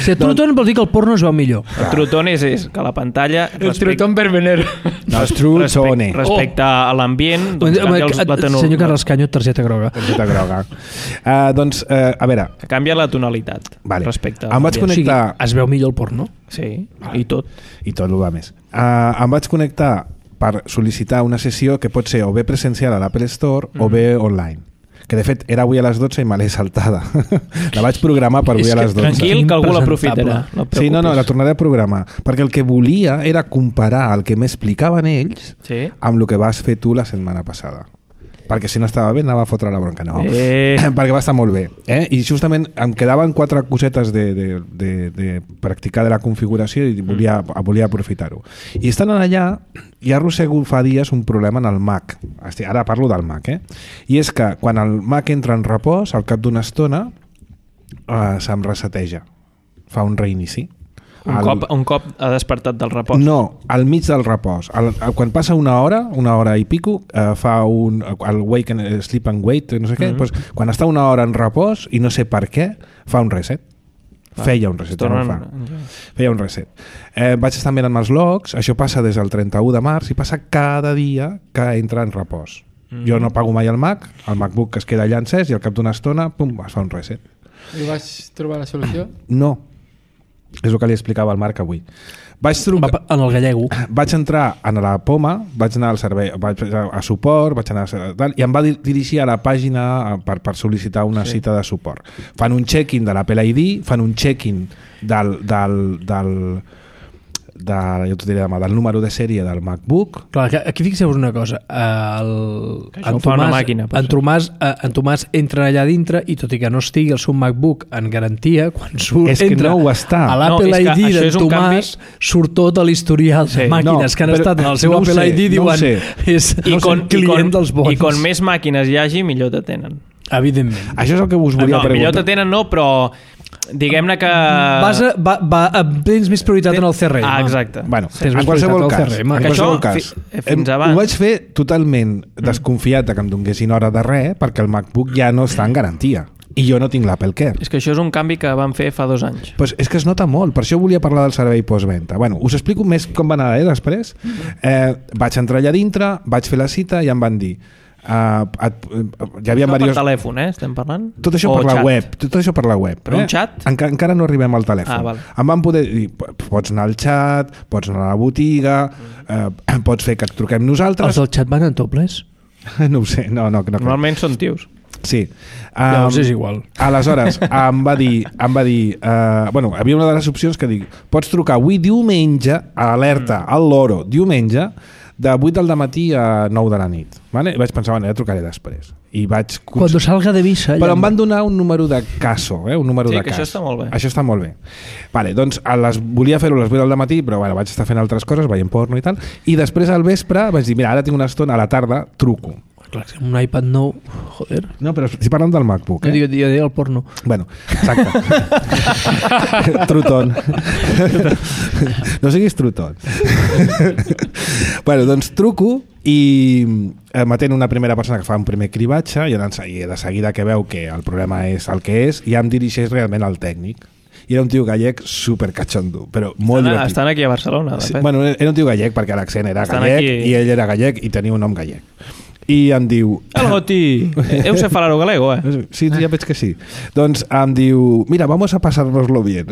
Si a Truton vol dir que el porno es veu millor. El Truton és que la pantalla... El Truton verbenero. No, és Trutone. Respecte a l'ambient, doncs canvia la tonalitat. Senyor Carles Canyo, targeta groga. Targeta groga. Doncs, a veure... Canvia la tonalitat respecte a l'ambient. Em vaig connectar... O sigui, es veu millor el porno? Sí, i tot. I tot el va més. Em vaig connectar per sol·licitar una sessió que pot ser o bé presencial a l'Apple Store o bé online. Que de fet era avui a les 12 i me l'he saltada. La vaig programar per avui a les 12. Tranquil, que algú l'aprofitarà. Sí, no, la tornaré a programar. Perquè el que volia era comparar el que m'explicaven ells amb el que vas fer tu la setmana passada. Perquè si no estava bé anava a fotre la bronca. No, perquè va estar molt bé. I justament em quedaven 4 cosetes de practicar de la configuració i volia aprofitar-ho. I estant allà, ja arrossego fa dies un problema en el Mac. Ara parlo del Mac. I és que quan el Mac entra en repòs, al cap d'una estona se'm reseteja. Fa un reinici. Un cop ha despertat del repòs? No, al mig del repòs. Quan passa una hora i pico, fa el wake and sleep and wait, no sé què, doncs, quan està una hora en repòs i no sé per què, fa un reset. Feia un reset, Feia un reset. Vaig estar mirant els logs, això passa des del 31 de març i passa cada dia que entra en repòs. Jo no pago mai el Mac, el MacBook es queda allà encès i al cap d'una estona, pum, es fa un reset. I vas trobar la solució? No. És el que li explicava al Marc avui. Vaig trucar en el gallego. Vaig entrar a la Poma, vaig anar al servei, vaig a suport, vaig anar a tal, i em va dirigir a la pàgina per sol·licitar una cita de suport. Fan un check-in de l'Apple ID, fan un check-in del número de sèrie del MacBook. Clar, aquí fixeu-vos una cosa, en Tomàs entra allà dintre i tot i que no estigui el seu MacBook en garantia, quan entra a l'Apple ID d'en Tomàs surt tot l'historial de màquines que han estat en el seu Apple ID, diuen és un client dels bons. I com més màquines hi hagi, millor t'atenen. Evidentment. Això és el que us volia preguntar. Millor t'atenen no, però diguem-ne que... Tens més prioritat en el CRM. Exacte. Bueno, en qualsevol cas, ho vaig fer totalment desconfiat que em donguessin hora de res perquè el MacBook ja no està en garantia. I jo no tinc l'Apple Care. És que això és un canvi que van fer fa 2 anys. Pues és que es nota molt, per això volia parlar del servei postventa. Bueno, us explico més com va anar després. Vaig entrar allà dintre, vaig fer la cita i em van dir hi havia per telèfon, estem parlant? Tot això per la web. Tot això per la web. Per un xat? Encara no arribem al telèfon. Em van poder dir, pots anar al xat, pots anar a la botiga, pots fer que et truquem nosaltres. Els del xat van en topless? No ho sé, no. Normalment són tios. Sí. Llavors és igual. Aleshores, em va dir bueno, havia una de les opcions que dic, pots trucar avui diumenge, alerta, al loro, diumenge, de 8 del matí a 9 de la nit. Vale? I vaig pensar, ja trucaré després. I vaig... Cuando salga de missa. Però em van donar un número de caso, un número de cas. Això està molt bé. Això està molt bé. Vale, doncs volia fer-ho a les 8 del matí, però vaig estar fent altres coses, veient porno i tal, i després al vespre vaig dir, mira, ara tinc una estona, a la tarda truco. Clar, un iPad nou, joder. No, però estic parlant del MacBook. Jo dic el porno. Bueno, exacte. Truton. No siguis truton. Bueno, doncs truco i m'atén una primera persona que fa un primer cribatge i de seguida que veu que el problema és el que és, ja em dirigeix realment al tècnic. I era un tio gallec super cachondo, però molt divertit. Estan aquí a Barcelona, de fet. Bueno, era un tio gallec perquè l'accent era gallec aquí... i ell era gallec i tenia un nom gallec. I em diu... El Goti, eu sé falar galego, Sí, ja veig que sí. Doncs em diu, mira, vamos a pasárnoslo bien.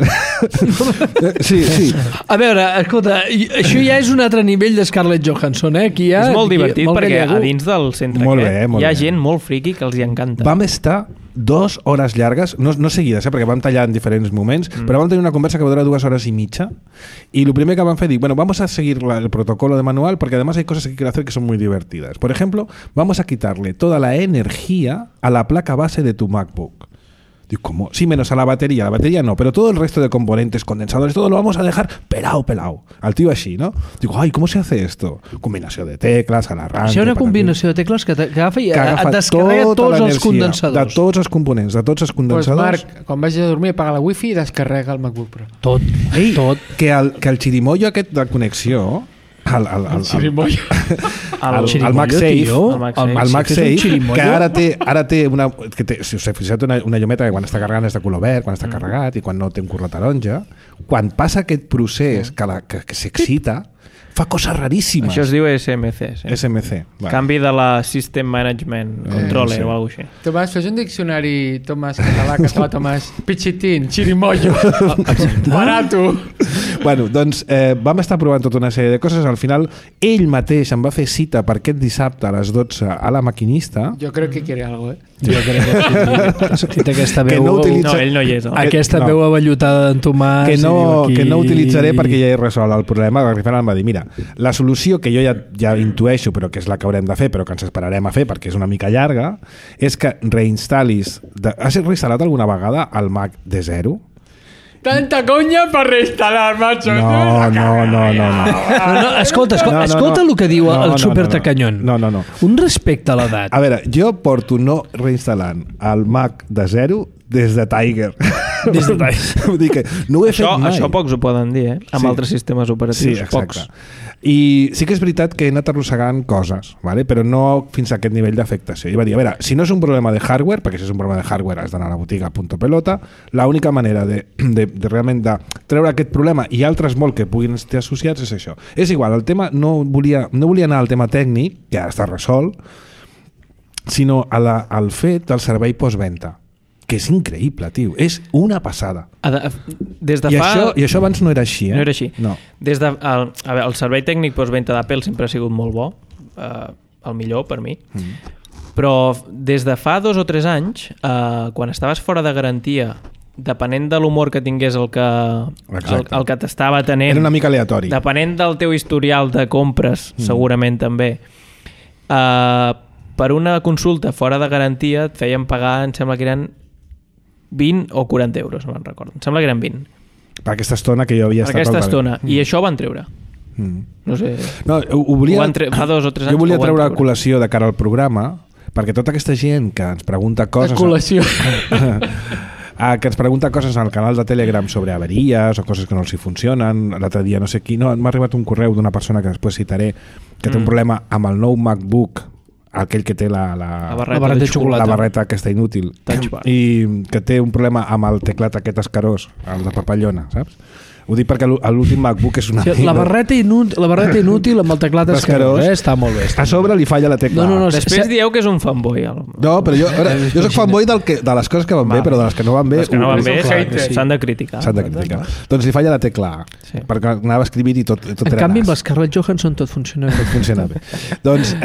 Sí. A veure, escolta, això ja és un altre nivell de Scarlett Johansson, Aquí és molt divertit perquè a dins del centre hi ha gent molt friqui que els hi encanta. Vam estar 2 hores llargues, no seguides, perquè vam tallar en diferents moments, però vam tenir una conversa que va durar 2 horas y media y lo primero que van a hacer, bueno, vamos a seguir el protocolo de manual porque además hay cosas que quiero hacer que son muy divertidas. Por ejemplo, vamos a quitarle toda la energía a la placa base de tu MacBook. Digo, ¿cómo? Sí, menos a la batería no, pero todo el resto de componentes, condensadores, todo lo vamos a dejar pelado. Al tío así, ¿no? Digo, ay, ¿cómo se hace esto? Combinació de tecles, a l'arranque... Això és una combinació de tecles que agafa i et descarrega tots els condensadors. De tots els components, de tots els condensadors. Pues Marc, quan vagis a dormir, apaga la wifi i descarrega el MacBook Pro. Tot. Que el xirimoio aquest de connexió... El MagSafe, que ara té una... Si us heu fixat, una llumeta que quan està carregant és de color verd, quan està carregat i quan no té un color taronja. Quan passa aquest procés que s'excita, fa coses raríssimes. Això es diu SMC. Sí. SMC. Vale. Canvi de la System Management Controller o alguna cosa així. Tomàs, fes un diccionari, Tomàs, català, Tomàs. Pichitín, chirimoyo, barato. Bueno, doncs vam estar provant tota una sèrie de coses. Al final, ell mateix em va fer cita per aquest dissabte a les 12 a la maquinista. Jo crec que quiere algo, Jo crec que sí. Aquesta veu... No, ell no hi és. Aquesta veu avellotada d'en Tomàs... Que no utilitzaré perquè ja he resolt el problema. Al final em va dir, mira, la solució que jo ja intueixo, però que és la que haurem de fer, però que ens esperarem a fer perquè és una mica llarga, és que reinstal·lis... Has reinstal·lat alguna vegada el Mac de zero? Tanta conya per reinstal·lar, macho. No. Escolta el que diu el supertacanyón. No. Un respecte a l'edat. A veure, jo porto no reinstal·lant el Mac de zero des de Tiger. Vull dir que no ho he fet mai. Això pocs ho poden dir, amb altres sistemes operatius. Sí, exacte. I sí que és veritat que he anat arrossegant coses, ¿vale? Però no fins a aquest nivell d'afectació. I va dir, a veure, si no és un problema de hardware, perquè si és un problema de hardware has d'anar a la botiga .pelota, l'única manera de realment de treure aquest problema i altres molt que puguin estar associats és això. És igual, el tema no volia anar al tema tècnic, que ja està resolt, sinó al fet del servei postventa, que és increïble, tio. És una passada. I això abans no era així, No era així. No. El servei tècnic postventa d'Apple sempre ha sigut molt bo, el millor per mi, però des de fa 2 o 3 anys, quan estaves fora de garantia, depenent de l'humor que tingués el que t'estava tenint, era una mica aleatori. Depenent del teu historial de compres, segurament també, per una consulta fora de garantia et feien pagar, em sembla que eren 20 o 40 euros, no me'n recordo. Em sembla que eren 20. Per aquesta estona que jo havia estat... Per aquesta estona. I això ho van treure. No sé... No, fa 2 o 3 anys... Jo volia treure a col·lació de cara al programa, perquè tota aquesta gent que ens pregunta coses... A col·lació. Que ens pregunta coses al canal de Telegram sobre averies o coses que no els hi funcionen. L'altre dia no sé qui... No, m'ha arribat un correu d'una persona que després citaré que té un problema amb el nou MacBook, aquell que té la barreta de xocolata, la barreta aquesta inútil, i que té un problema amb el teclat aquest escarós, el de papallona, saps? Ho dic perquè l'últim MacBook és una... La barreta inútil amb el teclat escarós, està molt bé. A sobre li falla la tecla. Després dieu que és un fanboy. No, però jo soc fanboy de les coses que van bé, però de les que no van bé... Les que no van bé s'han de criticar. Doncs li falla la tecla A, perquè anava escrivint i tot era nas. En canvi, amb Scarlett Johansson tot funciona bé. Tot funciona bé. Doncs,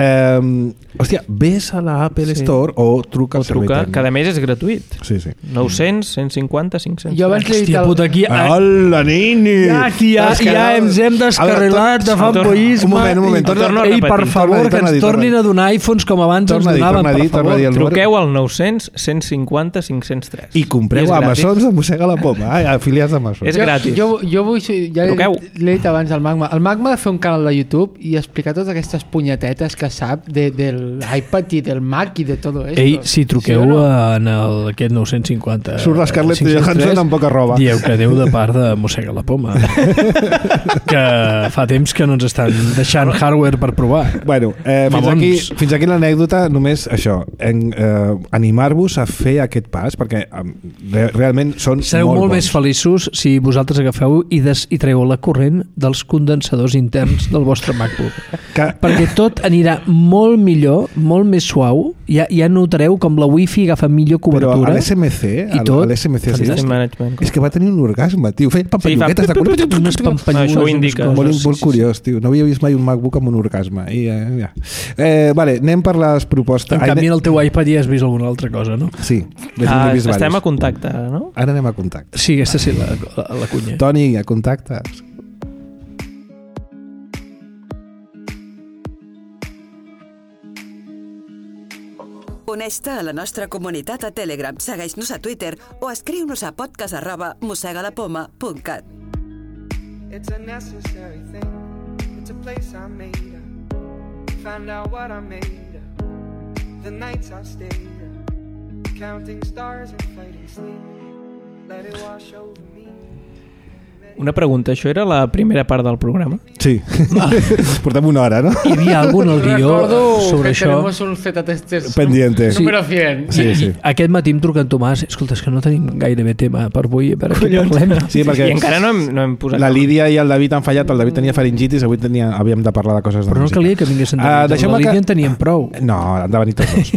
hòstia, ves a la Apple Store o truca al servei tècnic. Que a més és gratuït. Sí. 900, 150, 500... Jo abans li he dit... Hola, nin! Aquí ja ens hem descarrilat de fanboyisme. Un moment. Ei, per favor, que ens tornin a donar iPhones com abans ens donaven, per favor. Truqueu al 900 150 503. I compreu Amazons de Mossega la Poma, afiliats d'Amazon. És gratis. Jo vull... Ja l'he dit abans al Magma. El Magma ha de fer un canal de YouTube i explicar totes aquestes punyetetes que sap de l'iPad i del Mac i de tot això. Ei, si truqueu en aquest 950... Surt la Scarlett Johansson amb poca roba. Dieu que Déu de part de Mossega la Poma. Que fa temps que no ens estan deixant hardware per provar. Bueno, fins aquí l'anècdota, només això, animar-vos a fer aquest pas, perquè realment són sereu molt més feliços si vosaltres agafeu i traieu la corrent dels condensadors interns del vostre MacBook. Perquè tot anirà molt millor, molt més suau, ja notareu com la Wi-Fi agafa millor cobertura. Però a l'SMC, és que va tenir un orgasme, tio. Feia pampalluguetes de color. Unes pampallugues. Això ho indica. Molt curiós, tio. No havia vist mai un MacBook amb un orgasme. Vale, anem per les propostes. En canvi, en el teu iPad ja has vist alguna altra cosa, no? Sí. Estem a contacte, no? Ara anem a contacte. Sí, aquesta sí, la cunya. Toni, a contactes. Uneix-te a la nostra comunitat a Telegram, segueix-nos a Twitter o escriu-nos a podcast@mossegalapoma.cat. It's a necessary thing. It's a place I made up. Find out what I made up. The nights I stayed up. Counting stars and fighting sleep. Let it wash over me. Una pregunta, això era la primera part del programa? Sí. Portem una hora, no? Hi havia algun al guió sobre això? Tenemos un Z-testers pendiente. número 100. Sí. Aquest matí em truca en Tomàs, escolta, és que no tenim gairebé tema per avui, per què parlem? Sí, perquè I encara no hem posat... La Lídia i el David han fallat, el David tenia faringitis, avui havíem de parlar de coses de Però no música. calia que vinguessin la Lídia en teníem prou. No, han de venir tots dos.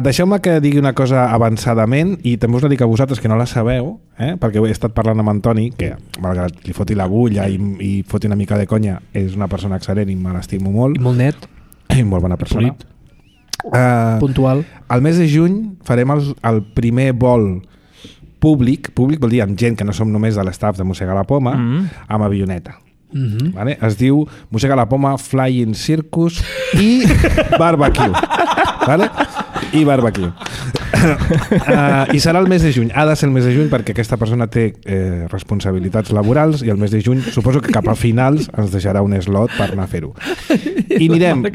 Deixeu-me que digui una cosa avançadament i també us la dic a vosaltres que no la sabeu, perquè he estat parlant amb Antoni, que malgrat li foti la bulla i foti una mica de conya, és una persona excel·lent i me l'estimo molt. I molt net. I molt bona persona. Puntual. Al mes de juny farem el primer vol públic vol dir amb gent que no som només de l'estaf de Mossega la Poma, amb avioneta. Vale? Es diu Mossega la Poma Flying Circus i Barbecue. Vale? I Barbecue. I serà el mes de juny. Ha de ser el mes de juny perquè aquesta persona té responsabilitats laborals i el mes de juny suposo que cap a finals ens deixarà un slot per anar a fer-ho. I anirem...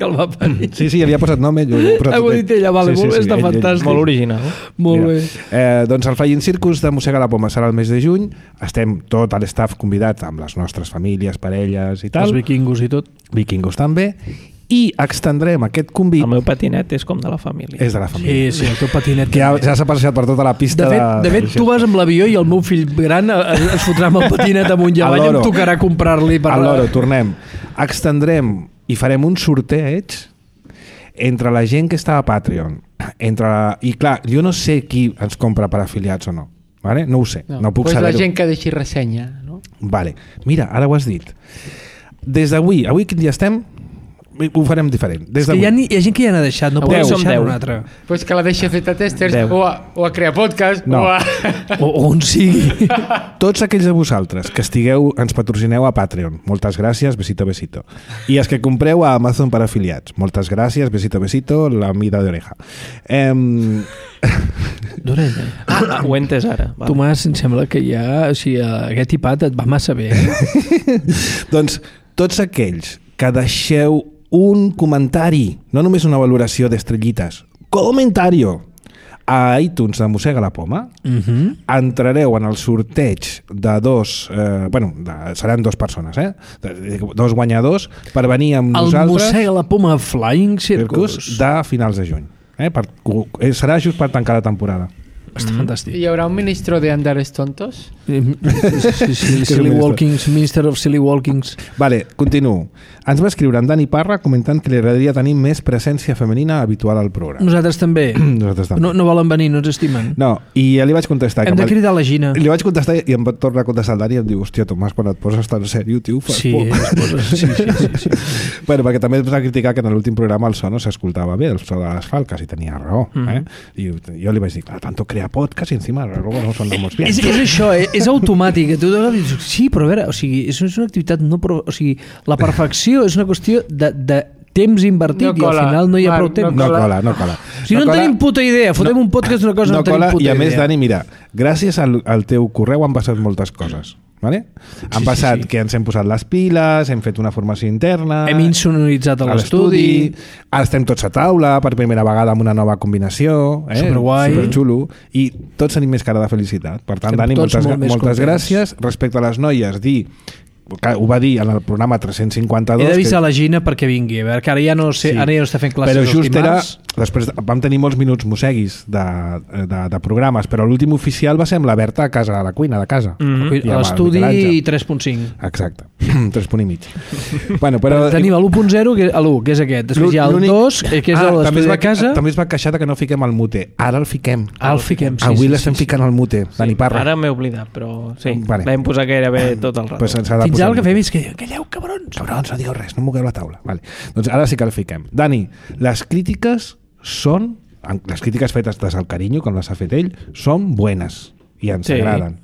Sí, havia posat nom ell. Ho dit ella, vale, està fantàstic. Molt original. Molt bé. Doncs el Flying Circus de Mossega la Poma serà el mes de juny. Estem tot l'estaf convidat amb les nostres famílies, parelles i tal. Els vikingos i tot. Vikingos també. I extendrem aquest convit... El meu patinet és com de la família. És de la família. Sí, el teu patinet. Que ja s'ha passejat per tota la pista. De fet, tu vas amb l'avió i el meu fill gran es fotrà amb el patinet amunt i avall i em tocarà comprar-li per... A l'Oro, tornem. Extendrem i farem un sorteig entre la gent que està a Patreon. I clar, jo no sé qui ens compra per afiliats o no. Vale? No ho sé, no puc saber-ho. La gent que deixi ressenya, no? Vale. Mira, ara ho has dit. Des d'avui, quin dia estem? Ho farem diferent. Hi ha gent que ja n'ha deixat, no podeu deixar un altre. Pues que la deixi a fer testers o a crear podcast o on sigui. Tots aquells de vosaltres que ens patrocineu a Patreon, moltes gràcies, besito, besito. I els que compreu a Amazon per afiliats, moltes gràcies, besito, besito, la mida d'oreja. D'orella. Ho he entès ara. Tomàs, em sembla que ja aquest iPad et va massa bé. Doncs tots aquells que deixeu un comentari, no només una valoració d'estrellites, comentario a iTunes de Mossega la Poma, entrareu en el sorteig de seran dues persones, dos guanyadors per venir amb nosaltres el Mossega la Poma Flying Circus de finals de juny. Serà just per tancar la temporada. Està fantàstic. ¿Y habrá un ministro de Andares Tontos? Silly Walkings, Minister of Silly Walkings. Vale, continuo. Ens va escriure en Dani Parra comentant que li agradaria tenir més presència femenina habitual al programa. Nosaltres també. No volen venir, no ens estimen. No, i ja li vaig contestar. Hem de cridar la Gina. Li vaig contestar i em va tornar a contestar el Dani i em diu, hòstia, Tomàs, quan et poses tan sèrio, tio, fas por. Sí. Bueno, perquè també ens va criticar que en l'últim programa el so no s'escoltava bé, el so de les falques, i tenia raó. I jo li vaig dir, clar, tanto crear a podcast y encima luego nos sonamos bien. És això, és automàtic. Tu dius, sí, però a veure, o sigui, és una activitat no... O sigui, la perfecció és una qüestió de temps invertit i al final no hi ha prou temps. No cola. Si no en tenim puta idea, fotem un podcast d'una cosa, no tenim puta idea. I a més, Dani, mira, gràcies al teu correu han passat moltes coses. Vale? Han passat que ens hem posat les piles, hem fet una formació interna, hem insonoritzat a l'estudi, ara estem tots a taula per primera vegada amb una nova combinació, superguai, superxulo, i tots tenim més cara de felicitat. Per tant, Dani, moltes gràcies. Respecte a les noies, ho va dir en el programa 352. He d'avisar la Gina perquè vingui, a veure, que ara ja no està fent classes però just els dimarts. Després vam tenir molts minuts mosseguis de programes, però l'últim oficial va ser amb la Berta a casa, a la cuina de casa. A l'estudi 3.5. Exacte, 3.5. Bueno, però tenim l'1.0, que és aquest. Després hi ha el 2, que és l'estudi de casa. També es va queixar que no fiquem el mute. Ara el fiquem. Sí, avui l'estem ficant al mute. Dani Parra. Ara m'he oblidat, però sí, l'hem posat gairebé tot el rato. Fins ara el que fem és que calleu, cabrons. Cabrons, no digueu res, no mogueu la taula. Vale. Doncs ara sí que el fiquem. Dani, les crítiques fetes des del carinyo, com les ha fet ell, són buenes i ens agraden.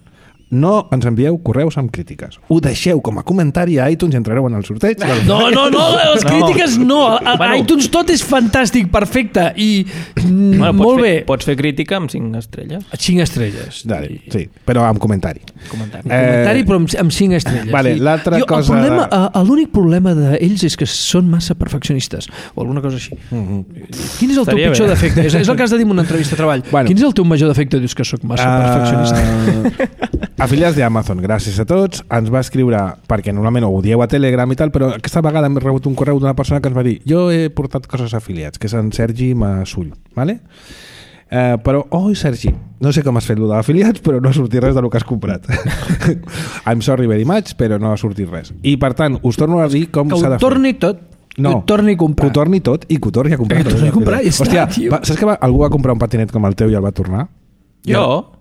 No ens envieu correus amb crítiques. Ho deixeu com a comentari a iTunes i entrareu en el sorteig. No, les crítiques no. A iTunes tot és fantàstic, perfecte i molt bé. Pots fer crítica amb 5 estrelles. 5 estrelles. Sí, però amb comentari. Comentari però amb 5 estrelles. Vale, l'altra cosa... L'únic problema d'ells és que són massa perfeccionistes o alguna cosa així. Quin és el teu pitjor defecte? És el que has de dir en una entrevista de treball. Quin és el teu major defecte? Dius que sóc massa perfeccionista. Afiliats d'Amazon, gràcies a tots. Ens va escriure, perquè normalment ho dieu a Telegram i tal, però aquesta vegada hem rebut un correu d'una persona que ens va dir jo he portat coses a afiliats, que és en Sergi Massull, ¿vale? Però, Sergi, no sé com has fet lo d'afiliats, però no ha sortit res del que has comprat. I'm sorry very much, però no ha sortit res. I per tant, us torno a dir com s'ha de fer. Que ho torni tot. No, que ho torni a comprar. Que ho torni tot i que ho torni a comprar. Hòstia, saps que algú va comprar un patinet com el teu i el va tornar? Jo?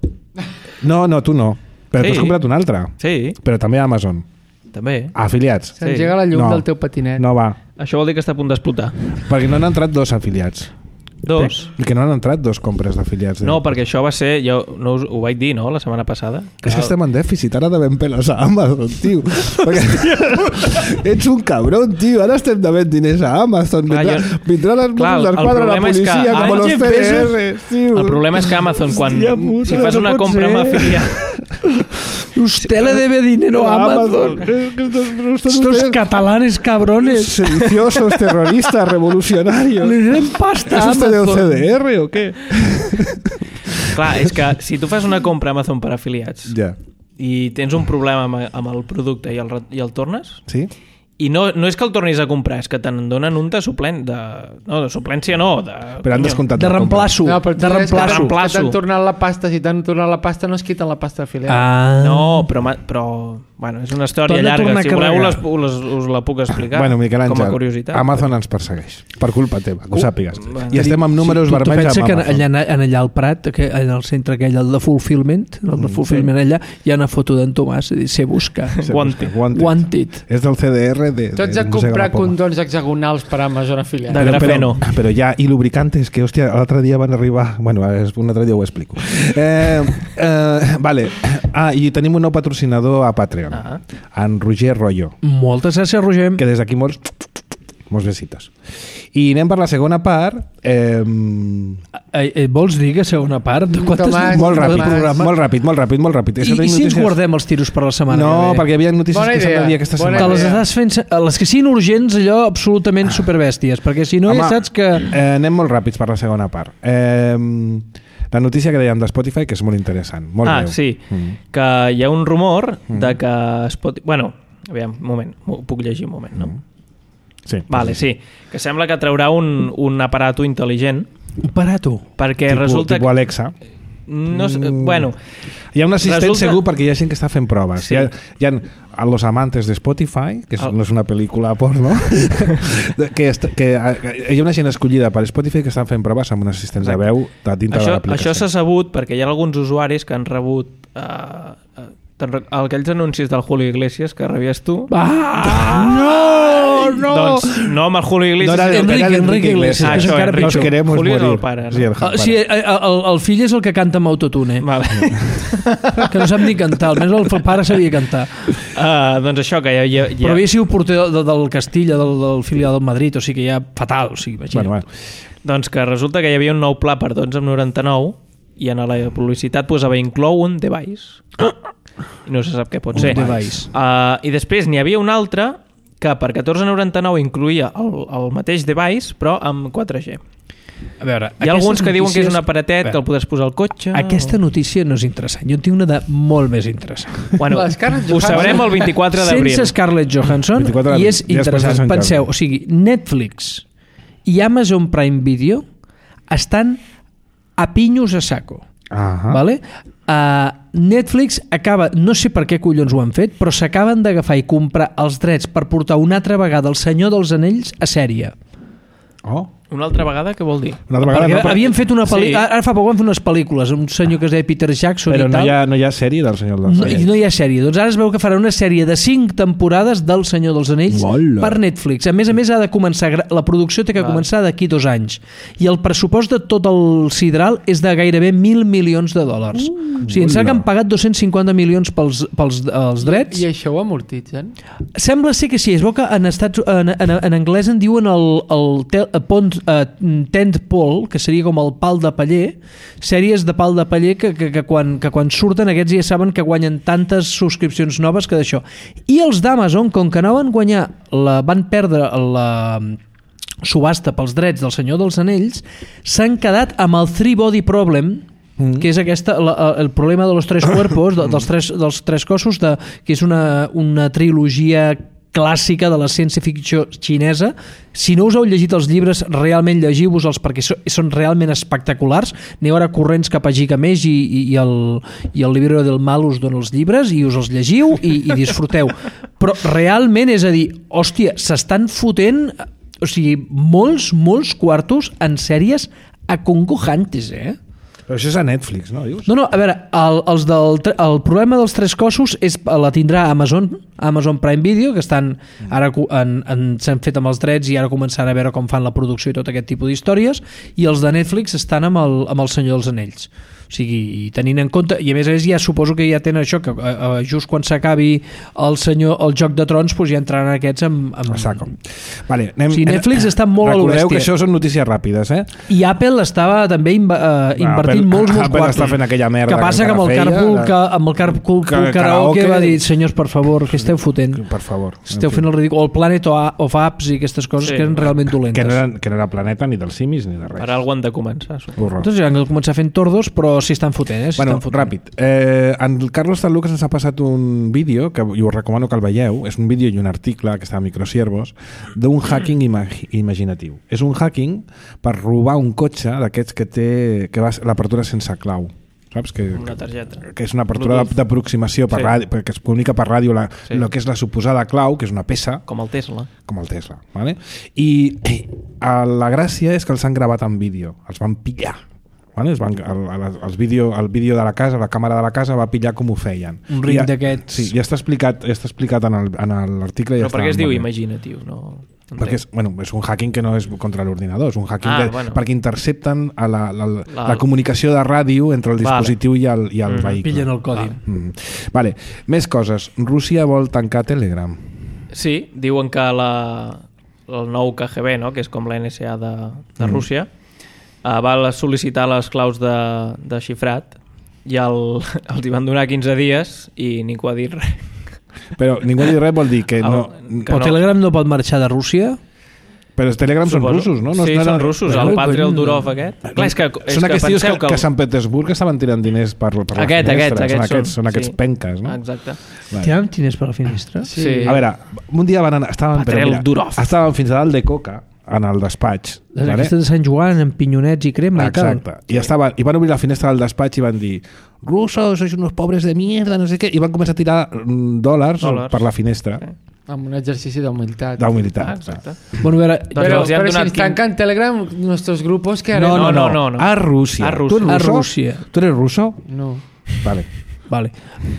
No, tu no. Però tu has comprat un altre. Sí. Però també a Amazon. També. Afiliats. S'engega la llum del teu patinet. No va. Això vol dir que està a punt d'explotar. Perquè no han entrat 2 afiliats. 2? I que no han entrat 2 compres d'afiliats. No, perquè això va ser... Jo no ho vaig dir, no?, la setmana passada. És que estem en dèficit. Ara devem peles a Amazon, tio. Ets un cabron, tio. Ara estem devent diners a Amazon. Vindran els Mossos d'Esquadra, la policia, com los CDR, tio. El problema és que Amazon, si fas una compra amb afiliat... Usted le debe dinero a Amazon. Estos catalanes cabrones. Sediciosos, terroristas, revolucionarios. Le den pasta a Amazon. ¿Es usted de CDR o qué? Clar, és que si tu fas una compra a Amazon per afiliats i tens un problema amb el producte i el tornes... Sí. I no és que el tornis a comprar, és que te'n donen un de suplent, de suplència no, però han descomptat de reemplaço. No, però que t'han tornat la pasta, si t'han tornat la pasta no es quiten la pasta afiliada. No, però bueno, és una història llarga, si voleu us la puc explicar com a curiositat. Amazon ens persegueix, per culpa teva, que ho sàpigues. I estem amb números vermells amb Amazon. Tu pensa que allà al Prat, en el centre aquell, el de Fulfillment, allà, hi ha una foto d'en Tomàs, se busca. Wanted. És del CDR tots a comprar condons hexagonals per Amazon afiliats. De grafeno. Però ja, i lubricantes, que hòstia, l'altre dia van arribar... Bueno, un altre dia ho explico. Vale. I tenim un nou patrocinador a Patreon, en Roger Rollo. Moltes gràcies, Roger. Que des d'aquí molts besitos. I anem per la segona part. Vols dir que segona part? Molt ràpid. I si ens guardem els tiros per la setmana? No, perquè hi havia notícies que s'han de dir aquesta setmana. Te les estàs fent... Les que siguin urgents, allò absolutament superbèsties, perquè si no ja saps que... Anem molt ràpids per la segona part. La notícia que dèiem de Spotify, que és molt interessant. Molt breu. Sí. Que hi ha un rumor de que Spotify... Bueno, aviam, un moment. Puc llegir un moment, no? Sí. Vale, sí. Que sembla que traurà un aparato intel·ligent. Un aparato? Perquè resulta... Tipus Alexa. No sé, bueno... Hi ha un assistent segur perquè hi ha gent que està fent proves. Sí. Hi ha Los Amantes de Spotify, que no és una pel·lícula porno, que hi ha una gent escollida per Spotify que estan fent proves amb un assistent de veu dintre de l'aplicació. Això s'ha sabut perquè hi ha alguns usuaris que han rebut aquells anuncis del Julio Iglesias que rebies tu. No! Doncs no amb el Julio Iglesias. No, era Enrique Iglesias. Això, encara Enrique. Nos queremos Julio és morir. el pare. Sí, el pare. Sí, el fill és el que canta amb autotune. Vale. Que no sap ni cantar, almenys el pare sabia cantar. Doncs això, que Però havia sigut porter del Castilla, del filial del Madrid, o sigui que ja fatal, o sigui, imagina't. Bueno. Doncs que resulta que hi havia un nou pla per 12,99 i en la publicitat posava inclou un device. I no se sap què pot ser. Device. I després n'hi havia un altre que per 14,99 incluïa el mateix device però amb 4G. A veure, hi ha alguns que diuen que és un aparatet que el podràs posar al cotxe. Aquesta notícia no és interessant. Jo en tinc una de molt més interessant. Bueno, ho sabrem el 24 d'abril. Sense Scarlett Johansson, i és interessant. Penseu, o sigui, Netflix i Amazon Prime Video estan a pinyos a saco. Vale? Netflix acaba, no sé per què collons ho han fet, però s'acaben d'agafar i comprar els drets per portar una altra vegada El Senyor dels Anells a sèrie. Una altra vegada, què vol dir? Una altra vegada, perquè havien fet una pel·lícula, ara fa poc van fer unes pel·lícules, un senyor que es deia Peter Jackson però i tal. no hi ha sèrie del Senyor dels Anells. No hi ha sèrie. Doncs ara es veu que farà una sèrie de 5 temporades del Senyor dels Anells per Netflix. A més, ha de començar, la producció té que començar d'aquí 2 anys. I el pressupost de tot el sidral és de gairebé $1.000 milions. O sigui, ens han pagat 250 milions pels drets. I això ho amortitzen? Sembla ser que sí. Es veu que en anglès en diuen el tentpole, que seria com el pal de paller, sèries de pal de paller que quan surten aquests ja saben que guanyen tantes subscripcions noves que d'això. I els d'Amazon, com que no van guanyar, van perdre la subhasta pels drets del Senyor dels Anells, s'han quedat amb el Three Body Problem, que és el problema de los tres cuerpos, dels tres cossos, que és una trilogia clàssica de la ciència-ficció xinesa. Si no us heu llegit els llibres, realment llegiu-vos-els perquè són realment espectaculars. Aneu ara corrents cap a Gigamesh i el Libro del Mal us dona els llibres i us els llegiu i disfruteu. Però realment, és a dir, hòstia, s'estan fotent, o sigui, molts quartos en sèries acongojantes, Però això és a Netflix, no? Dius? No, a veure, el problema dels tres cossos la tindrà Amazon Prime Video, que estan ara s'han fet amb els drets i ara començaran a veure com fan la producció i tot aquest tipus d'històries, i els de Netflix estan amb el Senyor dels Anells. O sigui, tenint en compte, i a més ja suposo que ja tenen això, que just quan s'acabi el Joc de Trons doncs ja entraran aquests amb... Saco. Vale, Netflix està molt a lo bèstia. Recordeu que això són notícies ràpides, I Apple estava també invertint molts Apple està fent aquella merda que passa que amb el Carpool Karaoke va dir, senyors, per favor, què esteu fotent? Per favor. Esteu fent el ridícul. O el Planet of Apps i aquestes coses que eren realment dolentes. Que no era planeta ni dels simis ni de res. Per algú han de començar. Entonces han de començar fent tordos, però s'hi estan fotent, Bueno, ràpid. En Carlos Talucas ens ha passat un vídeo, que jo us recomano que el veieu, és un vídeo i un article que està a Microsiervos, d'un hacking imaginatiu. És un hacking per robar un cotxe d'aquests que va l'apertura sense clau. Saps? Una targeta. Que és una apertura d'aproximació perquè es comunica per ràdio el que és la suposada clau, que és una peça. Com el Tesla. Vale? I la gràcia és que els han gravat en vídeo. Els van pillar. Vale? El vídeo de la casa, la càmera de la casa va pillar com ho feien. Un ring d'aquests. Sí, ja està explicat en l'article. Però per què es diu imaginatiu? Perquè és un hacking que no és contra l'ordinador, és un hacking perquè intercepten la comunicació de ràdio entre el dispositiu i el vehicle. Pillen el codi. Vale. Més coses. Rússia vol tancar Telegram. Sí, diuen que el nou KGB, no? Que és com la NSA de Rússia, va sol·licitar les claus de xifrat i els hi van donar 15 dies i ningú ha dit res. Però ningú ha dit res vol dir que no... Però Telegram no pot marxar de Rússia? Però els Telegram són russos, no? Sí, són russos. El Patriot Durov aquest. Clar, són aquests tios que a Sant Petersburg estaven tirant diners per la finestra. Són aquests penques, no? Exacte. Tiraven diners per la finestra? Sí. A veure, un dia estaven fins a dalt de coca en el despatx. Aquestes de Sant Joan, amb pinyonets i crema i tal. Exacte. I van obrir la finestra del despatx i van dir russos, sois unos pobres de mierda, no sé què, i van començar a tirar dòlars per la finestra. Amb un exercici d'humilitat. Exacte. Bueno, però si ens tancan Telegram, nuestros grupos, ¿qué haremos? No. A Rússia. A Rússia. ¿Tú eres ruso? No. Vale. Vale.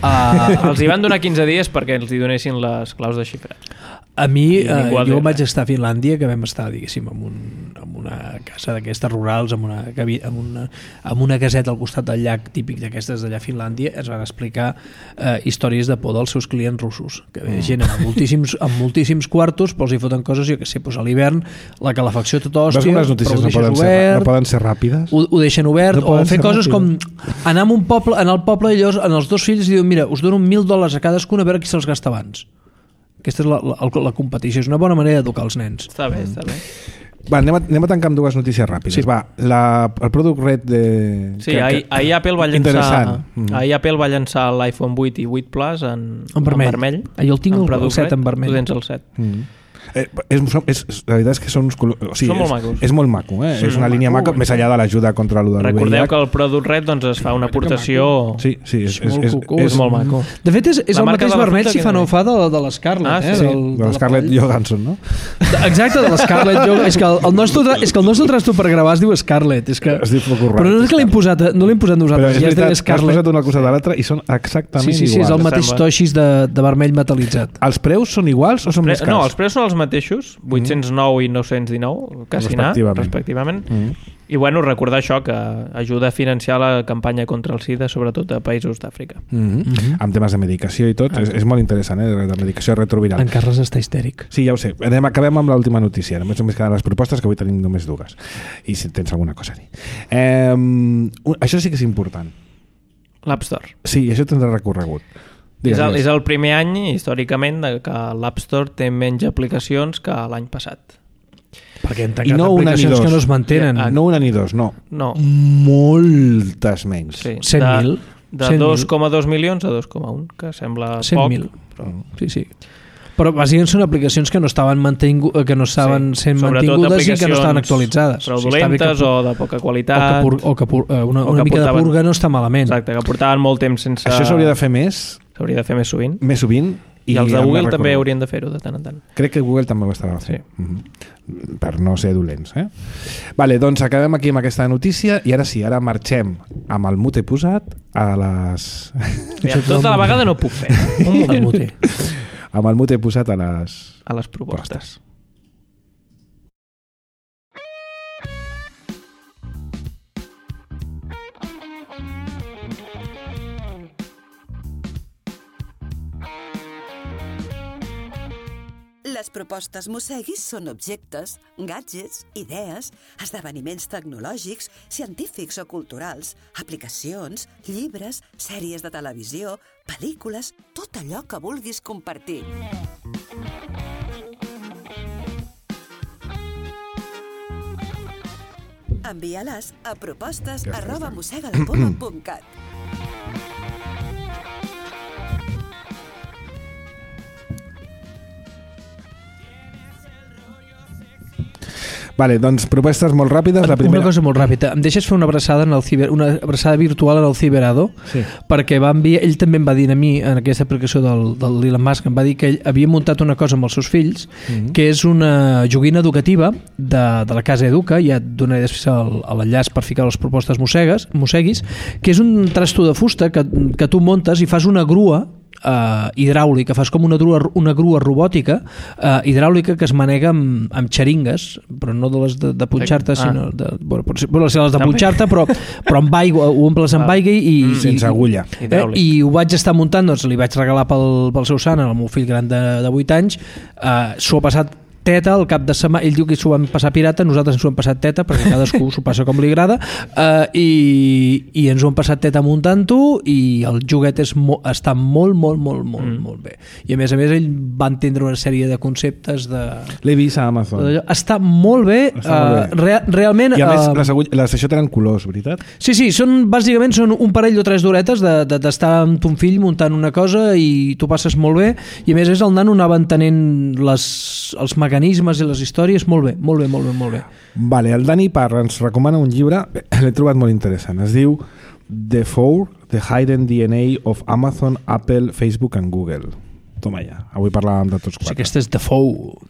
Els hi van donar 15 dies perquè els hi donessin les claus de xifrat. A mi, jo res. vaig estar a Finlàndia, que vam estar, diguéssim, en una casa d'aquestes rurals, amb una caseta al costat del llac típic d'aquestes d'allà a Finlàndia. Es van explicar històries de por dels seus clients russos, que ve gent amb moltíssims quartos, però els hi foten coses, jo que sé, doncs a l'hivern, la calefacció tot hòstia, les notícies no poden ser ràpides? Ho deixen obert, o fer coses com anar a un poble, en el poble, i llavors en els dos fills diuen, mira, us dono $1.000 a cadascun, a veure qui se'ls gasta abans. Aquesta és la competició, és una bona manera d'educar els nens. Està bé, està bé. Va, anem a tancar amb dues notícies ràpides. Sí. Va, el Product Red de... Sí, ahir Apple va llançar l'iPhone 8 i 8 Plus en vermell. Jo el tinc el 7 en vermell. Tu tens el 7. La veritat és que són uns colors... O sigui, són molt macos. És molt maco, eh? Sí, és una línia maca, més enllà de l'ajuda contra l'UVH. Recordeu que el Product Red doncs, es fa una aportació... Sí, és molt maco. De fet, és el mateix vermell, si fa no fa, de l'Scarlett. De l'Scarlett Johansson, no? Exacte, de l'Scarlett Johansson. És que el nostre trasto per gravar es diu Scarlett. Es diu Focus Red. Però no és que l'hem posat nosaltres. Però és veritat, has posat una cosa de l'altra i són exactament iguals. Sí, és el mateix toixis de vermell metalitzat. Els preus són iguals o són més cars? No, els preus són els mateixos, 809 i 919, quasi respectivament. I bueno, recordar això, que ajuda a financiar la campanya contra el SIDA, sobretot a països d'Àfrica. Amb temes de medicació i tot, és molt interessant, de medicació retroviral. En Carles està histèric. Sí, ja ho sé. Acabem amb l'última notícia. Només queden les propostes, que avui tenim només dues. I si tens alguna cosa a dir. Això sí que és important. L'App Store. Sí, això tindrà recorregut. És el primer any, històricament, que l'App Store té menys aplicacions que l'any passat. Perquè han tancat aplicacions que no es mantenen. No una ni dos, no. Moltes menys. Sí. 100.000. De 2,2 milions a 2,1, que sembla 100.000. Poc. Sí. Però bàsicament són aplicacions que no estaven sent mantingudes i que no estaven actualitzades. Fraudulentes o de poca qualitat. O que una mica de purga no està malament. Exacte, que portaven molt temps sense... Això s'hauria de fer més. S'hauria de fer més sovint. Més sovint. I els de Google també haurien de fer-ho de tant en tant. Crec que Google també ho estarà fent. Sí. Per no ser dolents. Vale, doncs acabem aquí amb aquesta notícia i ara sí, ara marxem amb el mute posat a les... Tota la vegada no puc fer. El mute. Amb el mute posat a les propostes. Les propostes Mosseguis són objectes, gadgets, idees, esdeveniments tecnològics, científics o culturals, aplicacions, llibres, sèries de televisió, pel·lícules, tot allò que vulguis compartir. Envia-les a propostes@mossegalapoma.cat. Vale, doncs propostes molt ràpides. La primera... Una cosa molt ràpida. Em deixes fer una abraçada una abraçada virtual en el Ciberado? Sí. Perquè ell també em va dir a mi, en aquesta aplicació del Elon Musk, em va dir que ell havia muntat una cosa amb els seus fills, que és una joguina educativa de la Casa Educa, ja et donaré després l'enllaç per ficar les propostes Mosseguis, que és un trasto de fusta que tu muntes i fas una grua hidràulica, fas com una grua robòtica hidràulica que es manega amb xeringues, però no de les de punxar-te, sinó les de punxar-te, però amb aigua, ho omples amb aigua i sense agulla. I ho vaig estar muntant, doncs li vaig regalar pel seu sant al meu fill gran de 8 anys. S'ho ha passat teta al cap de setmana. Ell diu que s'ho van passar pirata, nosaltres ens ho hem passat teta perquè cadascú s'ho passa com li agrada, i ens ho hem passat teta muntant-ho, i el joguet està molt bé, i a més ell va entendre una sèrie de conceptes l'he vist a Amazon, està molt bé, realment. I a més això tenen colors, veritat? Sí, bàsicament són un parell o 3 d'horetes d'estar amb ton fill muntant una cosa i tu passes molt bé, i a més el nano anava entenent els mecanismes i les històries molt bé. Vale, el Dani Parra ens recomana un llibre, l'he trobat molt interessant, es diu The Hidden DNA of Amazon, Apple, Facebook and Google. Toma ja, avui parlàvem de tots 4. Sí, aquesta és The Four.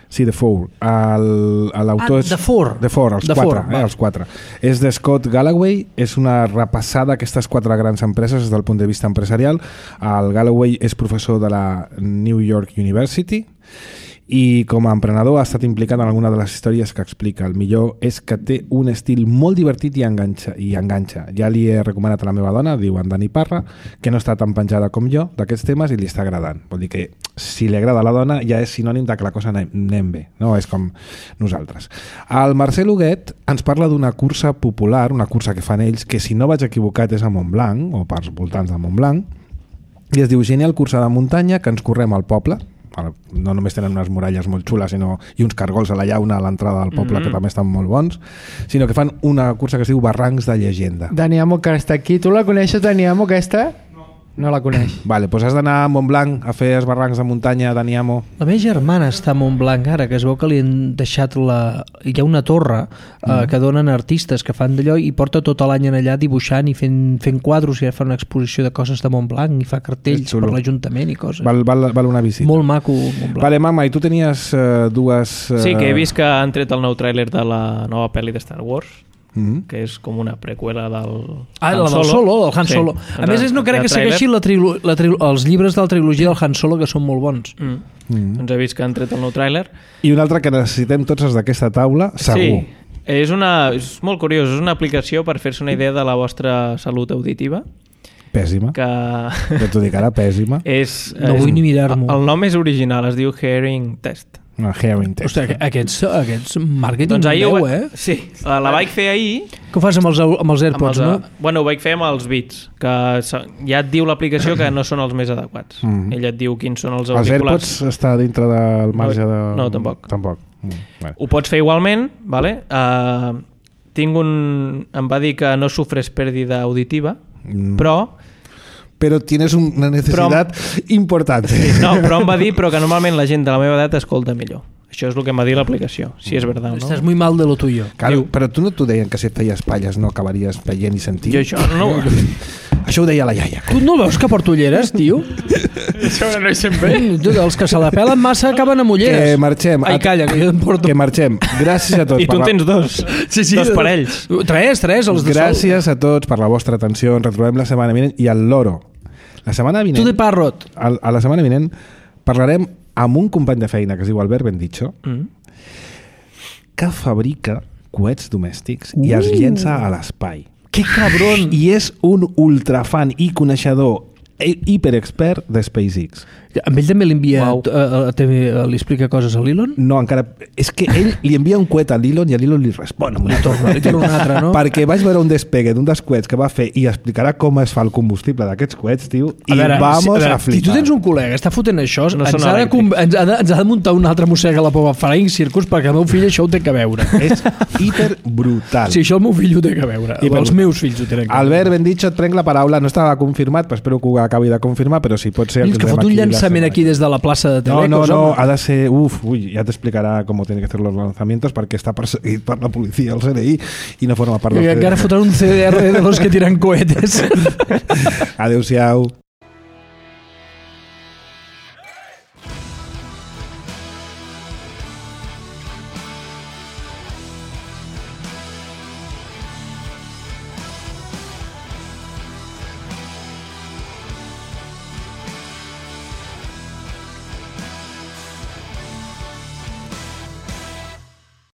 Sí, The Four. L'autor és... The Four. The Four, els The quatre. Four, Els quatre. És de Scott Galloway, és una repassada d'aquestes 4 grans empreses des del punt de vista empresarial. El Galloway és professor de la New York University i com a emprenedor ha estat implicat en alguna de les històries que explica. El millor és que té un estil molt divertit i enganxa. Ja li he recomanat a la meva dona, diu en Dani Parra, que no està tan penjada com jo d'aquests temes i li està agradant. Vol dir que si li agrada a la dona ja és sinònim de que la cosa anem bé, no? És com nosaltres. El Marcel Huguet ens parla d'una cursa popular, una cursa que fan ells, que si no vaig equivocat és a Montblanc, o pels voltants de Montblanc, i es diu Genial Cursa de Muntanya, que ens correm al poble. No només tenen unes muralles molt xules i uns cargols a la llauna a l'entrada del poble que també estan molt bons, sinó que fan una cursa que es diu Barrancs de Llegenda. Dani Amo, que està aquí. Tu la coneixes, Dani Amo, aquesta? No la coneix. Vale, doncs has d'anar a Montblanc a fer els barrancs de muntanya, Dani Amo. La meva germana està a Montblanc ara, que es veu que li han deixat hi ha una torre que donen artistes que fan d'allò i porta tot l'any allà dibuixant i fent quadros i fa una exposició de coses de Montblanc i fa cartells per l'Ajuntament i coses. Val una visita. Molt maco, Montblanc. Vale, mama, i tu tenies dues... Sí, que he vist que han tret el nou tràiler de la nova pel·li de Star Wars, que és com una preqüela del la del Solo, del Han Solo. A més, no crec que segueixi els llibres de la trilogia del Han Solo, que són molt bons. Doncs he vist que han tret el nou tràiler. I un altre que necessitem tots els d'aquesta taula, segur. Sí, és molt curiós, és una aplicació per fer-se una idea de la vostra salut auditiva. Pèssima. Que t'ho dic ara, pèssima. No vull ni mirar-m'ho. El nom és original, es diu Hearing Test. Hearing Test. Hosti, aquests màrqueting doncs meu, eh? Sí, la vaig fer ahir. Què ho fas amb els AirPods, no? Bueno, ho vaig fer amb els Beats, que ja et diu l'aplicació que no són els més adequats. Ella et diu quins són els auriculars. Els AirPods està dintre del marge de... No, tampoc. Vale. Ho pots fer igualment, vale? Em va dir que no sufres pèrdida auditiva, però tienes una necessitat important. Sí, no, però em va dir que normalment la gent de la meva edat escolta millor. Això és el que em va dir l'aplicació, si és veritat o no. Estàs muy mal de lo tuyo. Claro, però tu no t'ho deien que si et feies palles no acabaries veient i sentint? Jo això no... Això ho deia la iaia. Tu no veus que porto ulleres, tio? Això no hi sent bé. Els que se la pelen massa acaben amb ulleres. Que marxem. Ai, calla, que jo em porto... Que marxem. Gràcies a tots. I tu en tens dos. Sí, dos parells. Tres, els de Gràcies a tots per la vostra atenció. Ens retrobem la setmana vinent. I el loro. La setmana vinent... Tu de Parrot. A la setmana vinent parlarem amb un company de feina que es diu Albert Bendicho, que fabrica coets domèstics i els llença a l'espai. Que cabron! I és un ultrafan i coneixedor hiperexpert de SpaceX. Amb ell també li explica coses a l'Elon? No, encara... És que ell li envia un coet a l'Elon i a l'Elon li respon. Li torna un altre, no? Perquè vaig veure un despegue d'un dels coets que va fer i explicarà com es fa el combustible d'aquests coets, tio, i vamos a flipar. Si tu tens un col·lega que està fotent això, ens ha de muntar un altre mossega a la Pova Flying Circus perquè el meu fill això ho té que veure. És hiperbrutal. Sí, això el meu fill ho té que veure. Els meus fills ho tenen que veure. Albert Bendicho, et prenc la paraula. No estava confirmat, però espero que ho acabi de confirmar, però si pot ser... Que fot un llançament aquí des de la plaça de Telecos. No, ha de ser... Ya te explicará cómo tiene que hacer los lanzamientos perquè està perseguit per la policia, el CNI, i no forma part del CDR. Encara fotran un CDR de los que tiran cohetes. Adéu-siau.